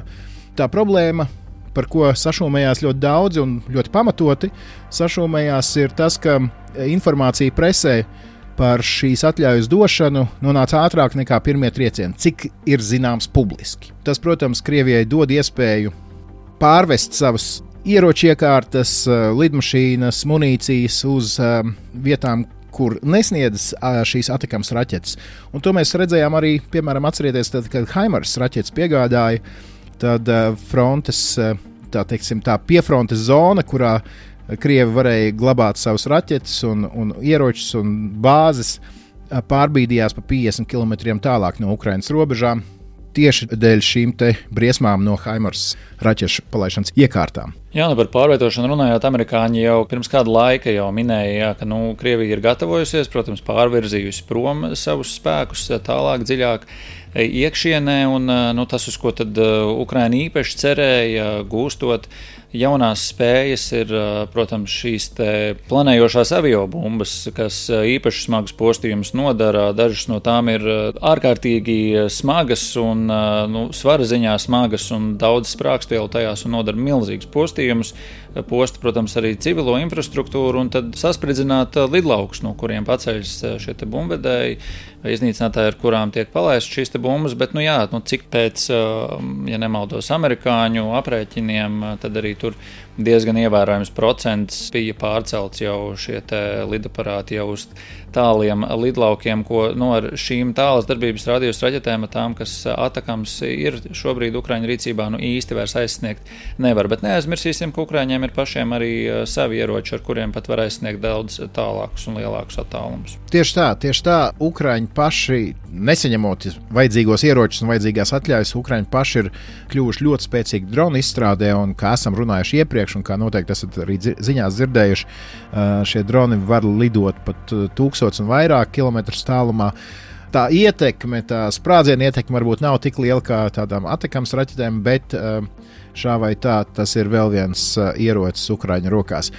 Tā problēma, par ko sašūmējās ļoti daudzi un ļoti pamatoti, sašūmējās ir tas, ka informācija presē par šīs atļaujas došanu nonāca ātrāk nekā pirmie triecieni, cik ir zināms publiski. Tas, protams, Krievijai dod iespēju pārvest savas ieročiekārtas, lidmašīnas, munīcijas uz vietām, kur nesniedz šīs atakāmas raķetes. Un to mēs redzējām arī, piemēram, atcerieties, tad, kad HIMARS raķetes piegādāja, tad frontes, tā piefrontes zona, kurā Krievi varēja glabāt savus raķetes un ieročus un bāzes, pārbīdījās pa 50 km tālāk no Ukrainas robežām, tieši dēļ šīm te briesmām no HIMARS raķešu palaišanas iekārtām.
Jā, par pārvietošanu runājot, amerikāņi jau pirms kāda laika jau minēja, ka Krievija ir gatavojusies, protams, pārvirzījusi prom savus spēkus tālāk, dziļāk iekšienē, un tas, uz ko tad Ukraina īpaši cerēja, gūstot jaunās spējas, ir, protams, šīs te planējošās aviobumbas, kas īpaši smagus postījumus nodara. Dažas no tām ir ārkārtīgi smagas un svara ziņā smagas un daudz sprākstvielu tajās un nodara milzīgus postījumus. Posta, protams, arī civilo infrastruktūru un tad saspridzināt lidlaukus, no kuriem paceļas šie te bumbvedēji, iznīcinātāji, ar kurām tiek palaistas šīs te bumbas, bet, cik pēc, ja nemaldos, amerikāņu aprēķiniem, tad arī tur diezgan ievērojams procents bija pārcelts jau šie te lidaparāti jau uz tāliem lidlaukiem, ko ar šīm tālas darbības rādījus raķetēm, tām, kas atakams ir šobrīd Ukraiņu rīcībā, īsti vairs aizsniegt nevar. Bet neaizmirsīsim, ka Ukraiņiem ir pašiem arī savi ieroči, ar kuriem pat var aizsniegt daudz tālākus un lielākus attālumus.
Tieši tā, Ukraiņi paši, nesaņemot vajadzīgos ieročus un vajadzīgās atļaujas, Ukraiņi paši ir kļuvuši ļoti spēcīgi dronu izstrādē, un kā esam runājuši iepriekš, un kā noteikti esat arī ziņās dzirdējuši, šie droni var lidot pat 1000 un vairāk kilometrus tālumā. Tā ietekme, tā sprādziena ietekme varbūt nav tik liela kā tādām atakams raķetēm, bet šā vai tā tas ir vēl viens ierocis Ukraiņu rokās.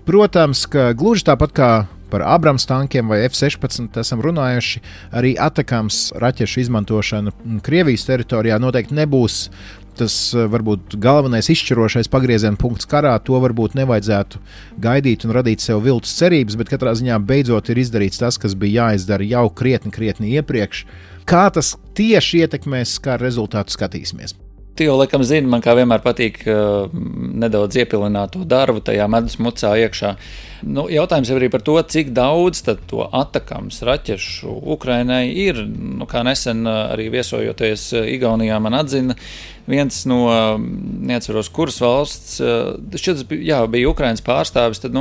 Protams, ka gluži tāpat kā par Abrams tankiem vai F-16 esam runājuši, arī atakams raķešu izmantošana Krievijas teritorijā noteikti nebūs tas varbūt galvenais izšķirošais pagrieziena punkts karā. To varbūt nevajadzētu gaidīt un radīt sev viltus cerības, bet katrā ziņā beidzot ir izdarīts tas, kas bija jāizdara jau krietni iepriekš. Kā tas tieši ietekmēs, kā rezultātu skatīsimies?
Tu jau laikam zini, man kā vienmēr patīk nedaudz iepilināt to darbu tajā medus mucā iekšā. Jautājums jau arī par to, cik daudz tad to atakams raķešu Ukrainai ir. Kā nesen arī viesojoties Igaunijā man atzina viens no, neatceros, kuras valsts, šķiet, bija Ukrainas pārstāvis, tad,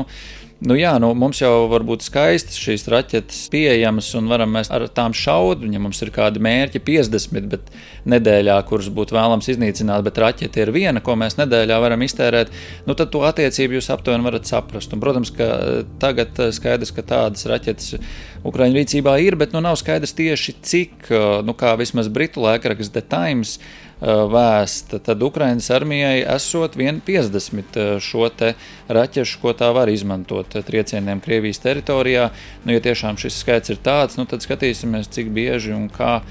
Mums jau var būt skaistas šīs raķetes pieejamas un varam mēs ar tām šaut, ja mums ir kādi mērķi 50, bet nedēļā, kurus būtu vēlams iznīcināt, bet raķete ir viena, ko mēs nedēļā varam iztērēt, tad to attiecību jūs aptuveni varat saprast. Un, protams, ka tagad skaidrs, ka tādas raķetes Ukraiņu rīcībā ir, bet nav skaidrs tieši cik, kā vismaz britu laikraksts The Times vēsta, tad Ukrainas armijai esot 50 šo te raķešu, ko tā var izmantot triecieniem Krievijas teritorijā. Ja tiešām šis skaits ir tāds, tad skatīsimies, cik bieži un kā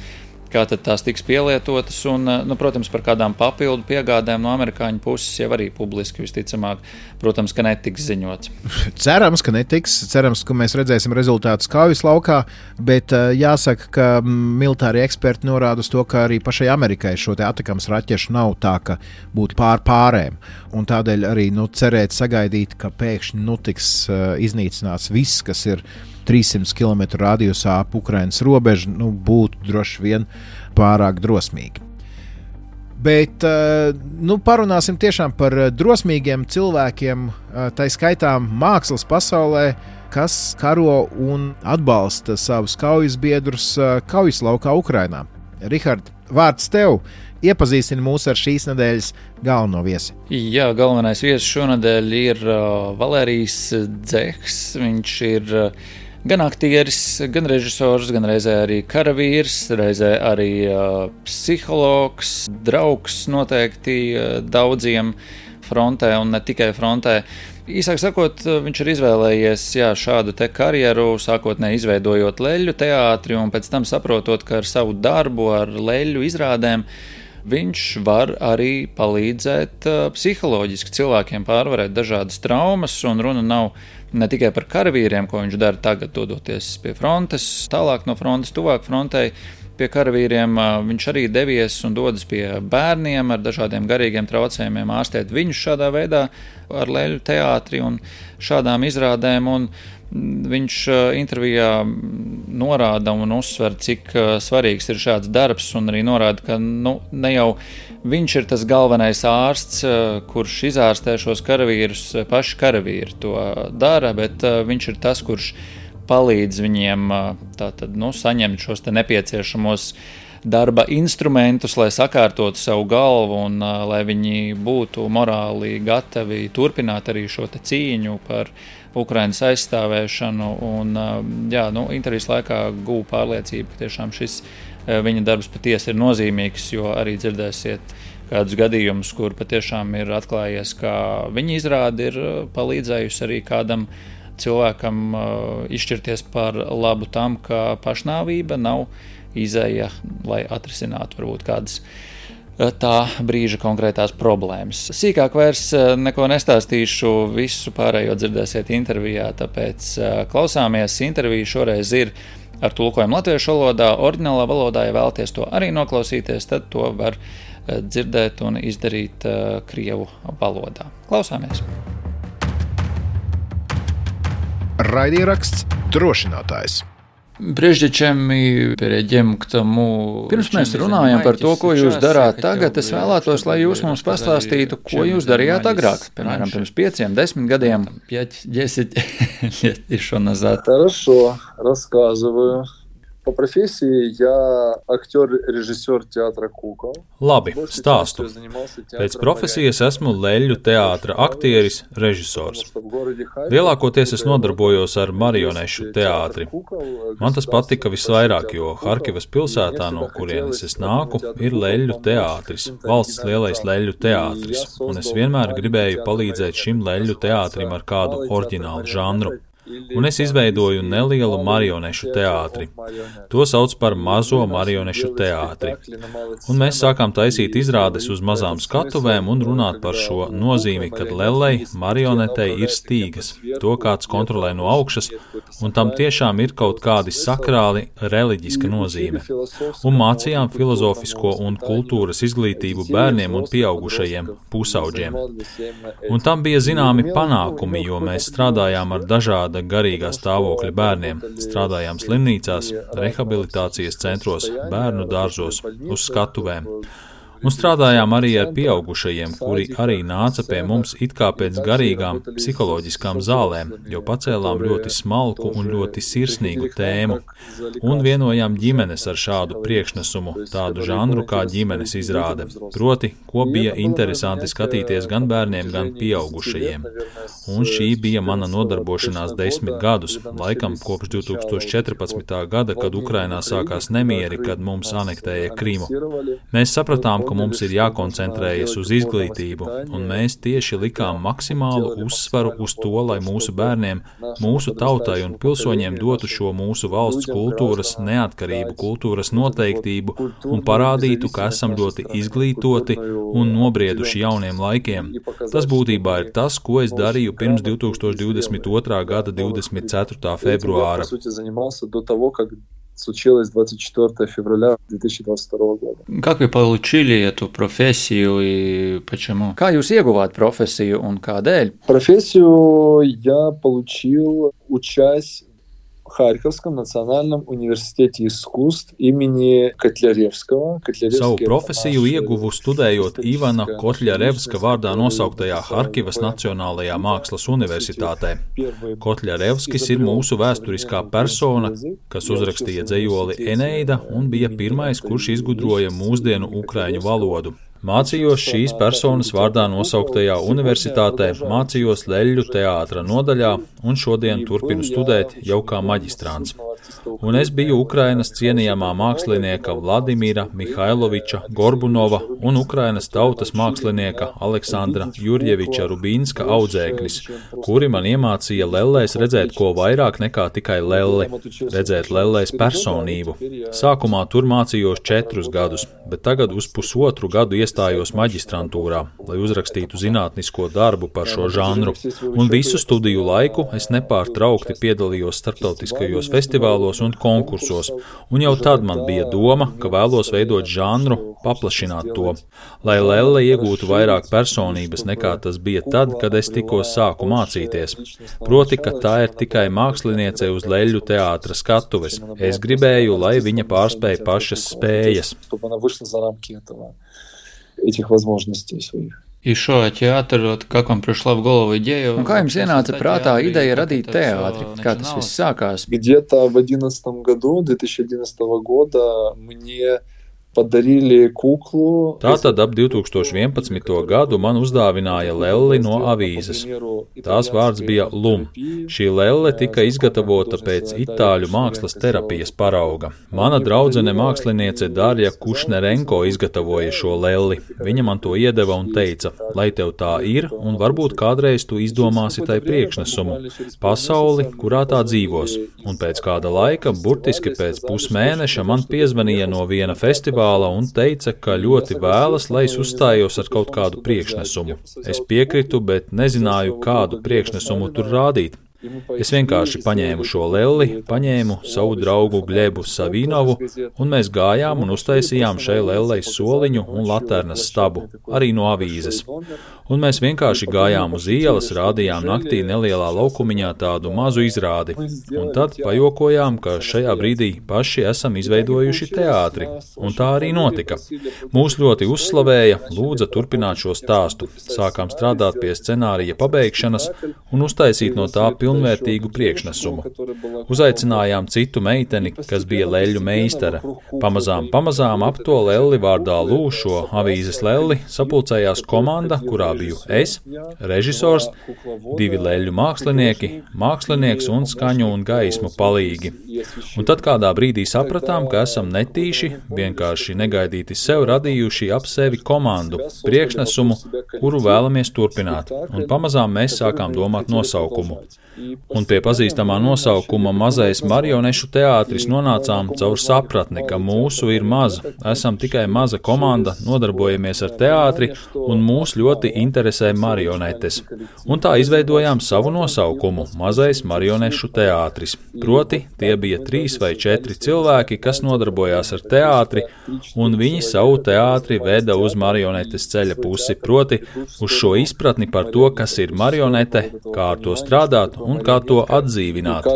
tad tās tiks pielietotas un, protams, par kādām papildu piegādēm no amerikāņu puses jau arī publiski visticamāk, protams, ka netiks ziņots.
Cerams, ka netiks. Cerams, ka mēs redzēsim rezultātus kaujas laukā, bet jāsaka, ka militāri eksperti norāda uz to, ka arī pašai Amerikai šo te atakams raķešu nav tā, ka būtu pārēm. Un tādēļ arī cerēt, sagaidīt, ka pēkšņi tiks iznīcināts viss, kas ir 300 km radiusā ap Ukrainas robežu, būtu droši vien pārāk drosmīgi. Bet parunāsim tiešām par drosmīgiem cilvēkiem, tā skaitā mākslas pasaulē, kas karo un atbalsta savus kaujas biedrus kaujas laukā Ukrainā. Rihard, vārds tev! Iepazīstini mūs ar šīs nedēļas galveno viesi.
Jā, galvenais viesis šonadēļ ir Valērijs Dzehs. Viņš ir gan aktieris, gan režisors, gan reizē arī karavīrs, reizē arī psihologs, draugs noteikti daudziem frontē un ne tikai frontē. Īsāk sakot, viņš ir izvēlējies šādu te karjeru, sākotnēji izveidojot leļļu teātri un pēc tam saprotot, ka ar savu darbu, ar leļļu izrādēm viņš var arī palīdzēt psiholoģiski cilvēkiem pārvarēt dažādas traumas, un runa nav ne tikai par karavīriem, ko viņš dara tagad, dodoties pie frontes, tālāk no frontes, tuvāk frontei. Pie karavīriem viņš arī devies un dodas pie bērniem ar dažādiem garīgiem traucējumiem, ārstēt viņus šādā veidā ar leļļu teātri un šādām izrādēm. Un viņš intervijā norāda un uzsver, cik svarīgs ir šāds darbs, un arī norāda, ka ne jau viņš ir tas galvenais ārsts, kurš izārstē šos karavīrus, paši karavīri to dara, bet viņš ir tas, kurš palīdz viņiem saņemt šos te nepieciešamos darba instrumentus, lai sakārtotu savu galvu un lai viņi būtu morāli gatavi turpināt arī šo te cīņu par Ukrainas aizstāvēšanu. Un, intervijas laikā guva pārliecība, ka tiešām šis viņa darbs patiesi ir nozīmīgs, jo arī dzirdēsiet kādus gadījumus, kur patiešām ir atklājies, ka viņa izrāde ir palīdzējusi arī kādam cilvēkam izšķirties par labu tam, ka pašnāvība nav izeja, lai atrisinātu varbūt kādas tā brīža konkrētās problēmas. Sīkāk vairs neko nestāstīšu, visu pārējo dzirdēsiet intervijā, tāpēc klausāmies. Interviju šoreiz ir ar tulkojumu latviešu valodā, oriģinālā valodā, ja vēlaties to arī noklausīties, tad to var dzirdēt un izdarīt krievu valodā. Klausāmies!
Raidieraksts Drošinātājs.
Прежде чем мы перейдем к тому, pirms mēs runājam par to, ko jūs darāt tagad, es vēlētos, lai jūs mums pastāstītu, ko jūs darījāt agrāk, piemēram, pirms 5, 10 gadiem. 5-10 лет еще назад.
Хорошо, рассказываю. По профессии я актер-режиссер театра «Кукол».
Labi, stāstu. Pēc profesijas esmu leļļu teātra aktieris, režisors. Lielākoties es nodarbojos ar marionešu teātri. Man tas patika visvairāk, jo Harkivas pilsētā, no kurienes es nāku, ir leļļu teātris, valsts lielais leļļu teātris, un es vienmēr gribēju palīdzēt šim leļļu teātrim ar kādu oriģinālu žanru. Un es izveidoju nelielu marionešu teātri. To sauc par mazo marionešu teātri. Un mēs sākām taisīt izrādes uz mazām skatuvēm un runāt par šo nozīmi, kad lellei, marionetei ir stīgas, to kāds kontrolē no augšas, un tam tiešām ir kaut kādi sakrāli reliģiska nozīme. Un mācījām filozofisko un kultūras izglītību bērniem un pieaugušajiem pusauģiem. Un tam bija zināmi panākumi, jo mēs strādājām ar dažāda garīgā stāvokļa bērniem, strādājām slimnīcās, rehabilitācijas centros, bērnu dārzos, uz skatuvēm. Un strādājām arī ar pieaugušajiem, kuri arī nāca pie mums it kā pēc garīgām psiholoģiskām zālēm, jo pacēlām ļoti smalku un ļoti sirsnīgu tēmu. Un vienojām ģimenes ar šādu priekšnesumu, tādu žanru kā ģimenes izrāde. Proti, ko bija interesanti skatīties gan bērniem, gan pieaugušajiem. Un šī bija mana nodarbošanās 10 gadus, laikam kopš 2014. gada, kad Ukrainā sākās nemieri, kad mums anektēja Krimu. Mēs sapratām, ka mums ir jākoncentrējas uz izglītību, un mēs tieši likām maksimālu uzsvaru uz to, lai mūsu bērniem, mūsu tautai un pilsoņiem dotu šo mūsu valsts kultūras neatkarību, kultūras noteiktību un parādītu, ka esam ļoti izglītoti un nobrieduši jauniem laikiem. Tas būtībā ir tas, ko es darīju pirms 2022. gada 24. februāra.
Случилось 24 февраля 2022 года.
Как вы получили эту профессию и почему? Kā jūs ieguvāt profesiju un kādēļ?
Профессию я получил, учась в Харьковском национальном университете искусств имени Котляревского.
Savu profesiju ieguvu studējot Ivana Kotļarevska vārdā nosauktajā Harkivas Nacionālajā mākslas universitātē. Kotļarevskis ir mūsu vēsturiskā persona, kas uzrakstīja dzejoli Eneida un bija pirmais, kurš izgudroja mūsdienu ukraiņu valodu. Mācījos šīs personas vārdā nosauktajā universitātē, mācījos Leļļu teātra nodaļā un šodien turpinu studēt jau kā maģistrāns. Un es biju Ukrainas cienījamā mākslinieka Vladimira Mihailoviča Gorbunova un Ukrainas tautas mākslinieka Aleksandra Jurjeviča Rubīnska audzēknis, kuri man iemācīja lellēs redzēt ko vairāk nekā tikai lelli, redzēt lellēs personību. Sākumā tur mācījos 4 gadus, bet tagad uz pusotru gadu iestājos maģistrantūrā, lai uzrakstītu zinātnisko darbu par šo žanru. Un visu studiju laiku es nepārtraukti piedalījos starptautiskajos festivālos un konkursos, un jau tad man bija doma, ka vēlos veidot žanru, paplašināt to, lai lelle iegūtu vairāk personības nekā tas bija tad, kad es tikko sāku mācīties. Proti, ka tā ir tikai māksliniece uz Leļļu teātra skatuves. Es gribēju, lai viņa pārspēja pašas spējas.
Этих возможностей своих.
И что, театр, вот как вам пришла в голову идея? Un kā jums ienāca prātā ideja radīt teātri? Kā tas viss sākās?
Где-то в 2011 года мне padarīja kuklu.
Tātad ap 2011. gadu man uzdāvināja lelli no avīzes. Tās vārds bija Lum. Šī lelle tika izgatavota pēc itāļu mākslas terapijas parauga. Mana draudzene māksliniece Darja Kušnerenko izgatavoja šo lelli. Viņa man to iedeva un teica, lai tev tā ir, un varbūt kādreiz tu izdomāsi tai priekšnesumu, pasauli, kurā tā dzīvos. Un pēc kāda laika, burtiski pēc pusmēneša, man piezvanīja no viena festivāla un teica, ka ļoti vēlas, lai es uzstājos ar kaut kādu priekšnesumu. Es piekritu, bet nezināju, kādu priekšnesumu tur rādīt. Es vienkārši paņēmu šo lelli, paņēmu savu draugu Gļebu Savinovu, un mēs gājām un uztaisījām šai lellei soliņu un laternas stabu, arī no avīzes. Un mēs vienkārši gājām uz ielas, rādījām naktī nelielā laukumiņā tādu mazu izrādi, un tad pajokojām, ka šajā brīdī paši esam izveidojuši teātri, un tā arī notika. Mūs ļoti uzslavēja, lūdza turpināt šo stāstu, sākām strādāt pie scenārija pabeigšanas un uztaisīt no tā pilnvērtīgu priekšnesumu. Uzaicinājām citu meiteni, kas bija leļļu meistara. Pamazām ap to lelli vārdā Lū, šo avīzes lelli, sapulcējās komanda, kurā biju es, režisors, 2 leļļu mākslinieki, mākslinieks un skaņu un gaismu palīgi. Un tad kādā brīdī sapratām, ka esam netīši, vienkārši negaidīti sev radījuši ap sevi komandu, priekšnesumu, kuru vēlamies turpināt. Un pamazām mēs sākām domāt nosaukumu. Un pie pazīstamā nosaukuma Mazais marionešu teātris nonācām caur sapratni, ka mūsu ir maza, esam tikai maza komanda, nodarbojamies ar teātri un mūs ļoti interesē marionetes. Un tā izveidojām savu nosaukumu Mazais marionešu teātris. Proti, tie bija 3 vai 4 cilvēki, kas nodarbojās ar teātri, un viņi savu teātri veda uz marionetes ceļa pusi, proti uz šo izpratni par to, kas ir marionete, kā ar to strādāt un kā to atdzīvināt.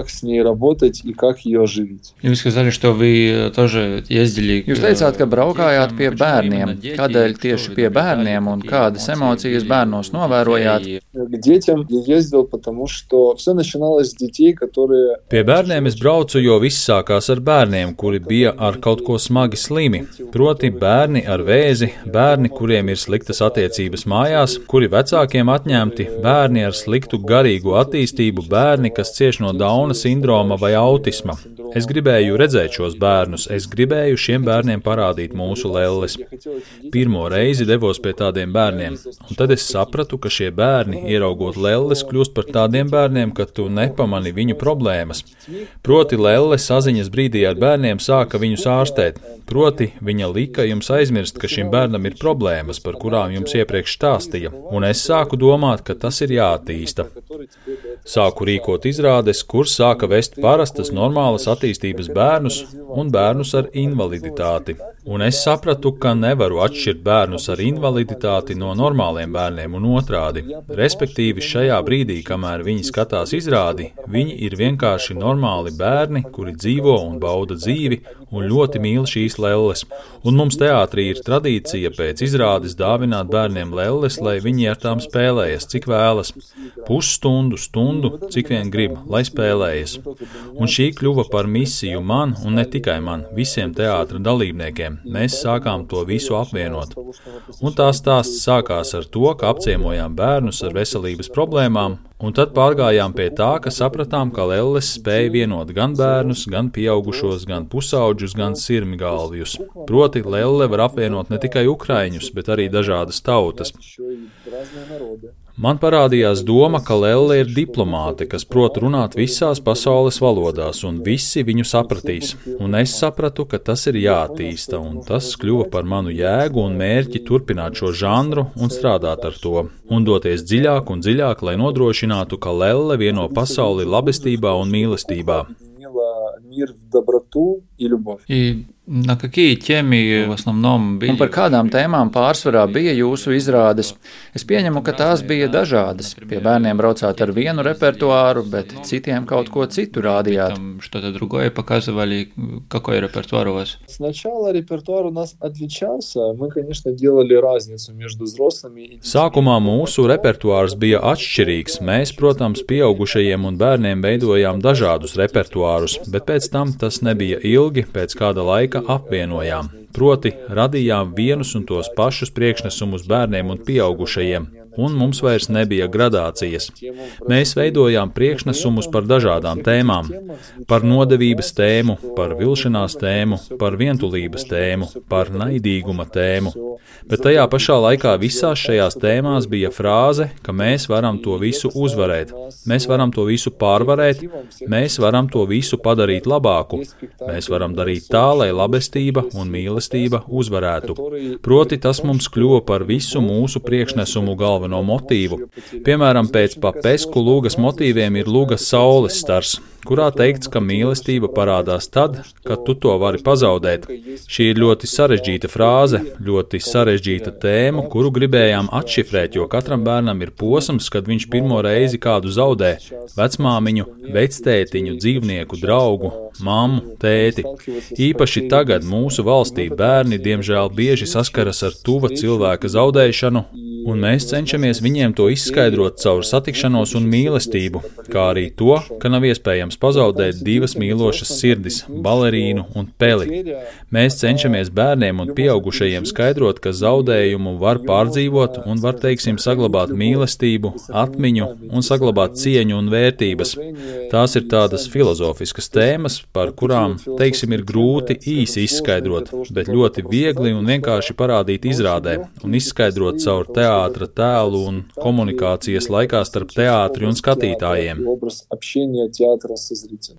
Jūs сказали, что вы тоже ездили.
Jūs teicāt, ka braukājāt pie bērniem. Kādēļ tieši pie bērniem un kādas emocijas bērnos novērojāt?
Pie bērniem es braucu, jo viss sākās ar bērniem, kuri bija ar kaut ko smagi slimi. Proti bērni ar vēzi, bērni, kuriem ir sliktas attiecības mājās, kuri vecākiem atņemti, bērni ar sliktu garīgu attīstību, bērni, kas cieš no Dauna sindroma vai autisma. Es gribēju redzēt šos bērnus, es gribēju šiem bērniem parādīt mūsu lelles. Pirmo reizi devos pie tādiem bērniem, un tad es sapratu, ka šie bērni, ieraugot lelles, kļūst par tādiem bērniem, ka tu nepamani viņu problēmas. Proti lelle saziņas brīdī ar bērniem sāka viņus ārstēt. Proti viņa lika jums aizmirst, ka šim bērnam ir problēmas, par kurām jums iepriekš stāstīja, un es sāku domāt, ka tas ir jāattīsta. Sāku rīkot izrādes, kur sāka vest parastas, normālas attīstības bērnus un bērnus ar invaliditāti. Un es sapratu, ka nevaru atšķirt bērnus ar invaliditāti no normāliem bērniem un otrādi. Respektīvi, šajā brīdī, kamēr viņi skatās izrādi, viņi ir vienkārši normāli bērni, kuri dzīvo un bauda dzīvi un ļoti mīl šīs lelles. Un mums teātrī ir tradīcija pēc izrādes dāvināt bērniem lelles, lai viņi ar tām spēlējas, cik vēlas. Pusstundu, stundu, cik vien grib, lai spēlējas. Un šī kļuva par misiju man, un ne tikai man, visiem teātra dalībniekiem. Mēs sākām to visu apvienot. Un tā stāsts sākās ar to, ka apciemojām bērnus ar veselības problēmām, un tad pārgājām pie tā, ka sapratām, ka lelles spēja vienot gan bērnus, gan pieaugušos, gan pusauģus, gan sirmgalvjus. Proti, lelle var apvienot ne tikai ukraiņus, bet arī dažādas tautas. Man parādījās doma, ka lelle ir diplomāte, kas prot runāt visās pasaules valodās, un visi viņu sapratīs. Un es sapratu, ka tas ir jāattīsta, un tas kļuva par manu jēgu un mērķi turpināt šo žanru un strādāt ar to. Un doties dziļāk un dziļāk, lai nodrošinātu, ka lelle vieno pasauli labestībā un mīlestībā.
На какие темы в основном были?
Un par kādām tēmām pārsvarā bija jūsu izrādes? Es pieņemu, ka tās bija dažādas. Pie bērniem braucāt ar vienu repertuāru, bet citiem kaut ko citu rādījāt.
Что-то другое показывали, какой репертуар у вас?
Сначала репертуар у нас отличался. Мы, конечно, делали разницу между взрослыми и детьми.
Sākumā mūsu repertuārs bija atšķirīgs. Mēs, protams, pieaugušajiem un bērniem veidojām dažādus repertuārus, bet pēc tam tas nebija ilgi, pēc kāda laika apvienojām. Proti, radījām vienus un tos pašus priekšnesumus bērniem un pieaugušajiem, un mums vairs nebija gradācijas. Mēs veidojām priekšnesumus par dažādām tēmām, par nodevības tēmu, par vilšanās tēmu, par vientulības tēmu, par naidīguma tēmu. Bet tajā pašā laikā visās šajās tēmās bija frāze, ka mēs varam to visu uzvarēt, mēs varam to visu pārvarēt, mēs varam to visu padarīt labāku, mēs varam darīt tā, lai labestība un mīlestība uzvarētu. Proti, tas mums kļuva par visu mūsu priekšnesumu galveno motīvu. Piemēram, pēc Papesku lūgas motīviem ir lūgas saules stars, kurā teikts, ka mīlestība parādās tad, kad tu to vari pazaudēt. Šī ir ļoti sarežģīta frāze, ļoti sarežģīta tēma, kuru gribējām atšifrēt, jo katram bērnam ir posms, kad viņš pirmo reizi kādu zaudē – vecmāmiņu, vectētiņu, dzīvnieku, draugu, mammu, tēti. Īpaši tagad mūsu valstī bērni, diemžēl, bieži saskaras ar tuva cilvēka zaudēšanu, un mēs cenšamies viņiem to izskaidrot caur satikšanos un mīlestību, kā arī to, ka nav iespējams pazaudēt divas mīlošas sirdis – balerīnu un peli. Mēs cenšamies bērniem un pieaugušajiem skaidrot, ka zaudējumu var pārdzīvot un var, teiksim, saglabāt mīlestību, atmiņu un saglabāt cieņu un vērtības. Tās ir tādas filozofiskas tēmas, par kurām, teiksim, ir grūti īsi izskaidrot, bet ļoti viegli un vienkārši parādīt izrādē un izskaidrot caur teātra tēlu un komunikācijas laikā starp teātri un skatītājiem.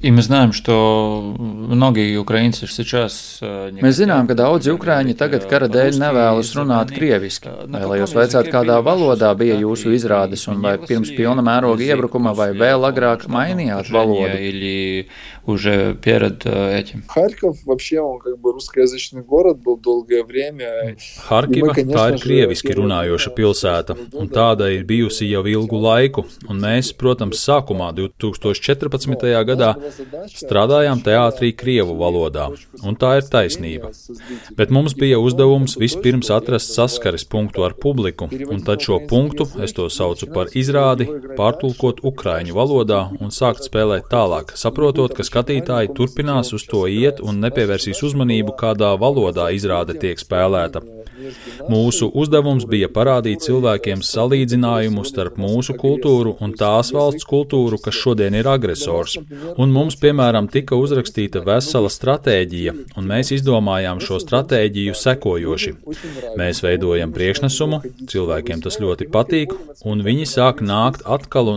И мы знаем, что многие украинцы сейчас...
Mēs zinām, ka daudzi ukraiņi tagad kara dēļ nevēlas runāt krieviski. Vēlējos vaicāt, kādā valodā bija jūsu izrādes, un vai pirms pilna mēroga iebrukuma, vai vēl agrāk mainījāt valodu?
Или уже перед этим?
Харьков вообще, он как бы русскоязычный город был долгое время.
Харкива, tā ir krieviski runājoša pilsēta. pilsēta, un tāda ir bijusi jau ilgu laiku, un mēs, protams, sākumā 2014. gadā strādājām teātrī krievu valodā, un tā ir taisnība. Bet mums bija uzdevums vispirms atrast saskares punktu ar publiku, un tad šo punktu, es to saucu par izrādi, pārtulkot ukraiņu valodā un sākt spēlēt tālāk, saprotot, ka skatītāji turpinās uz to iet un nepievērsīs uzmanību, kādā valodā izrāde tiek spēlēta. Mūsu uzdevums bija parādīt cilvēkiem salīdzinājumu starp mūsu kultūru un tās valsts kultūru, kas šodien ir agresors. Un mums, piemēram, tika uzrakstīta vesela stratēģija, un mēs izdomājām šo stratēģiju sekojoši. Mēs veidojam priekšnesumu, cilvēkiem tas ļoti patīk, un viņi sāk nākt atkal,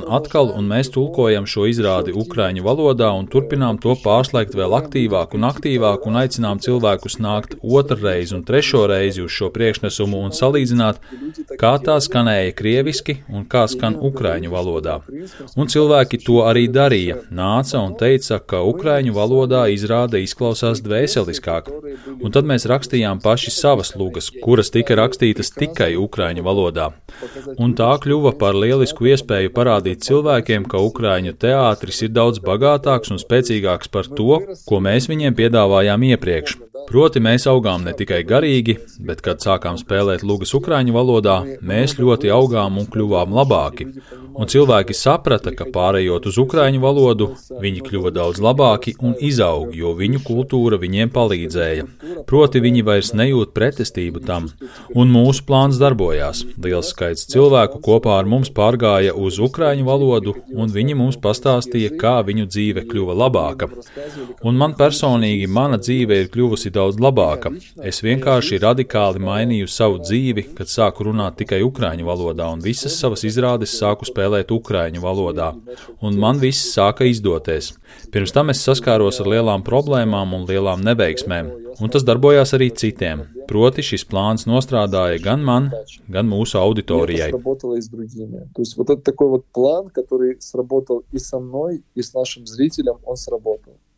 un mēs tulkojam šo izrādi ukraiņu valodā un turpinām to pārslēgt vēl aktīvāk un aicinām cilvēkus nākt otrreiz un trešo reizi uz šo priekšnesumu un salīdzināt, kā tā skanēja krieviski un kā skan ukraiņu valodā. Un cilvēki to arī darīja, nāca un teica, ka ukraiņu valodā izrāde izklausās dvēseliskāk. Un tad mēs rakstījām paši savas lugas, kuras tika rakstītas tikai ukraiņu valodā. Un tā kļuva par lielisku iespēju parādīt cilvēkiem, ka ukraiņu teātris ir daudz bagātāks un spēcīgāks par to, ko mēs viņiem piedāvājām iepriekš. Proti mēs augām ne tikai garīgi, bet, kad sākām spēlēt lugas ukraiņu valodā, mēs ļoti augām un kļuvām labāki. Un cilvēki saprata, ka pārējot uz ukraiņu valodu, viņi kļuva daudz labāki un izaug, jo viņu kultūra viņiem palīdzēja. Proti viņi vairs nejūt pretestību tam. Un mūsu plāns darbojās. Liels skaits cilvēku kopā ar mums pārgāja uz ukraiņu valodu, un viņi mums pastāstīja, kā viņu dzīve kļuva labāka. Un man personīgi mana dzīve ir kļuvusi daudz labāka. Es vienkārši radikāli mainīju savu dzīvi, kad sāku runāt tikai ukraiņu valodā, un visas savas izrādes sāku spēlēt ukraiņu valodā. Un man viss sāka izdoties. Pirms tam es saskāros ar lielām problēmām un lielām neveiksmēm, un tas darbojās arī citiem. Proti šis plāns nostrādāja gan man, gan mūsu auditorijai.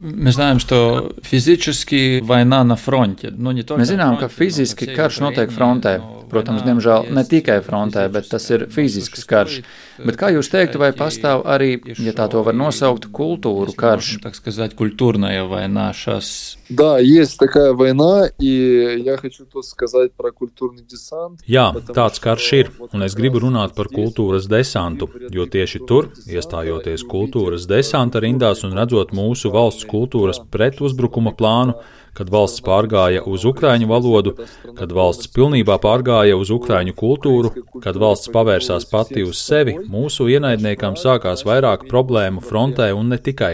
Mēs zinām, ka fiziski vojna na fronte.
Mēs zinām, ka fiziski karš notiek frontē. Protams, diemžēl ne tikai frontē, bet tas ir fizisks karš. Bet kā jūs teiktu, vai pastāv arī, ja tā to var nosaukt, kultūru karš?
Культурная война сейчас.
Да, есть такая война, и я хочу тут сказать про культурный десант.
Jā, tāds karš ir, un es gribu runāt par kultūras desantu, jo tieši tur, iestājoties kultūras desanta rindās un redzot mūsu valsts kultūras pretuzbrukuma plānu, kad valsts pārgāja uz ukraiņu valodu, kad valsts pilnībā pārgāja uz ukraiņu kultūru, kad valsts pavērsās pati uz sevi, mūsu ienaidniekam sākās vairāk problēmu frontē un ne tikai.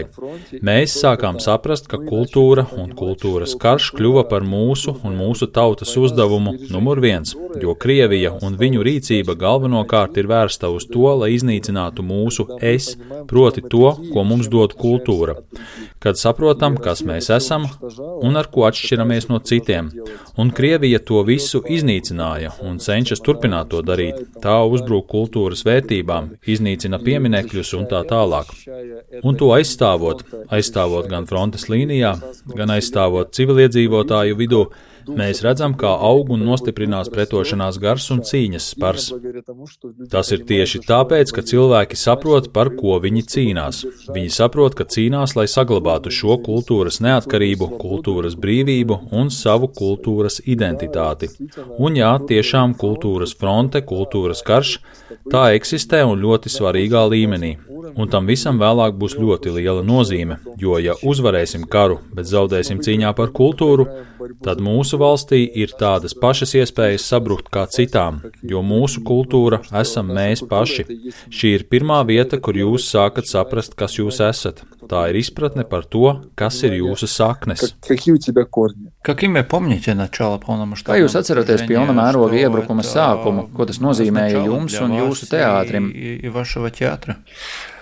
Mēs sākām saprast, ka kultūra un kultūras karš kļuva par mūsu un mūsu tautas uzdevumu numur 1, jo Krievija un viņu rīcība galvenokārt ir vērsta uz to, lai iznīcinātu mūsu es, proti to, ko mums dod kultūra. Kad saprotam, kas mēs esam un ar ko atšķiramies no citiem. Un Krievija to visu iznīcināja un cenšas turpināt to darīt. Tā uzbrūk kultūras vērtībām, iznīcina pieminekļus un tā tālāk. Un to aizstāvot gan frontes līnijā, gan aizstāvot civiliedzīvotāju vidū, mēs redzam, kā aug un nostiprinās pretošanās gars un cīņas spars. Tas ir tieši tāpēc, ka cilvēki saprot, par ko viņi cīnās. Viņi saprot, ka cīnās, lai saglabātu šo kultūras neatkarību, kultūras brīvību un savu kultūras identitāti. Un jā, tiešām kultūras fronte, kultūras karš, tā eksistē un ļoti svarīgā līmenī. Un tam visam vēlāk būs ļoti liela nozīme, jo ja uzvarēsim karu, bet zaudēsim cīņā par kultūru, tad mūsu valstī ir tādas pašas iespējas sabrukt kā citām, jo mūsu kultūra esam mēs paši. Šī ir pirmā vieta, kur jūs sākat saprast, kas jūs esat. Tā ir izpratne par to, kas ir jūsu saknes.
Kā jūs atceraties pilna mēroga iebrukuma sākumu, ko tas nozīmēja jums un jūsu teātrim?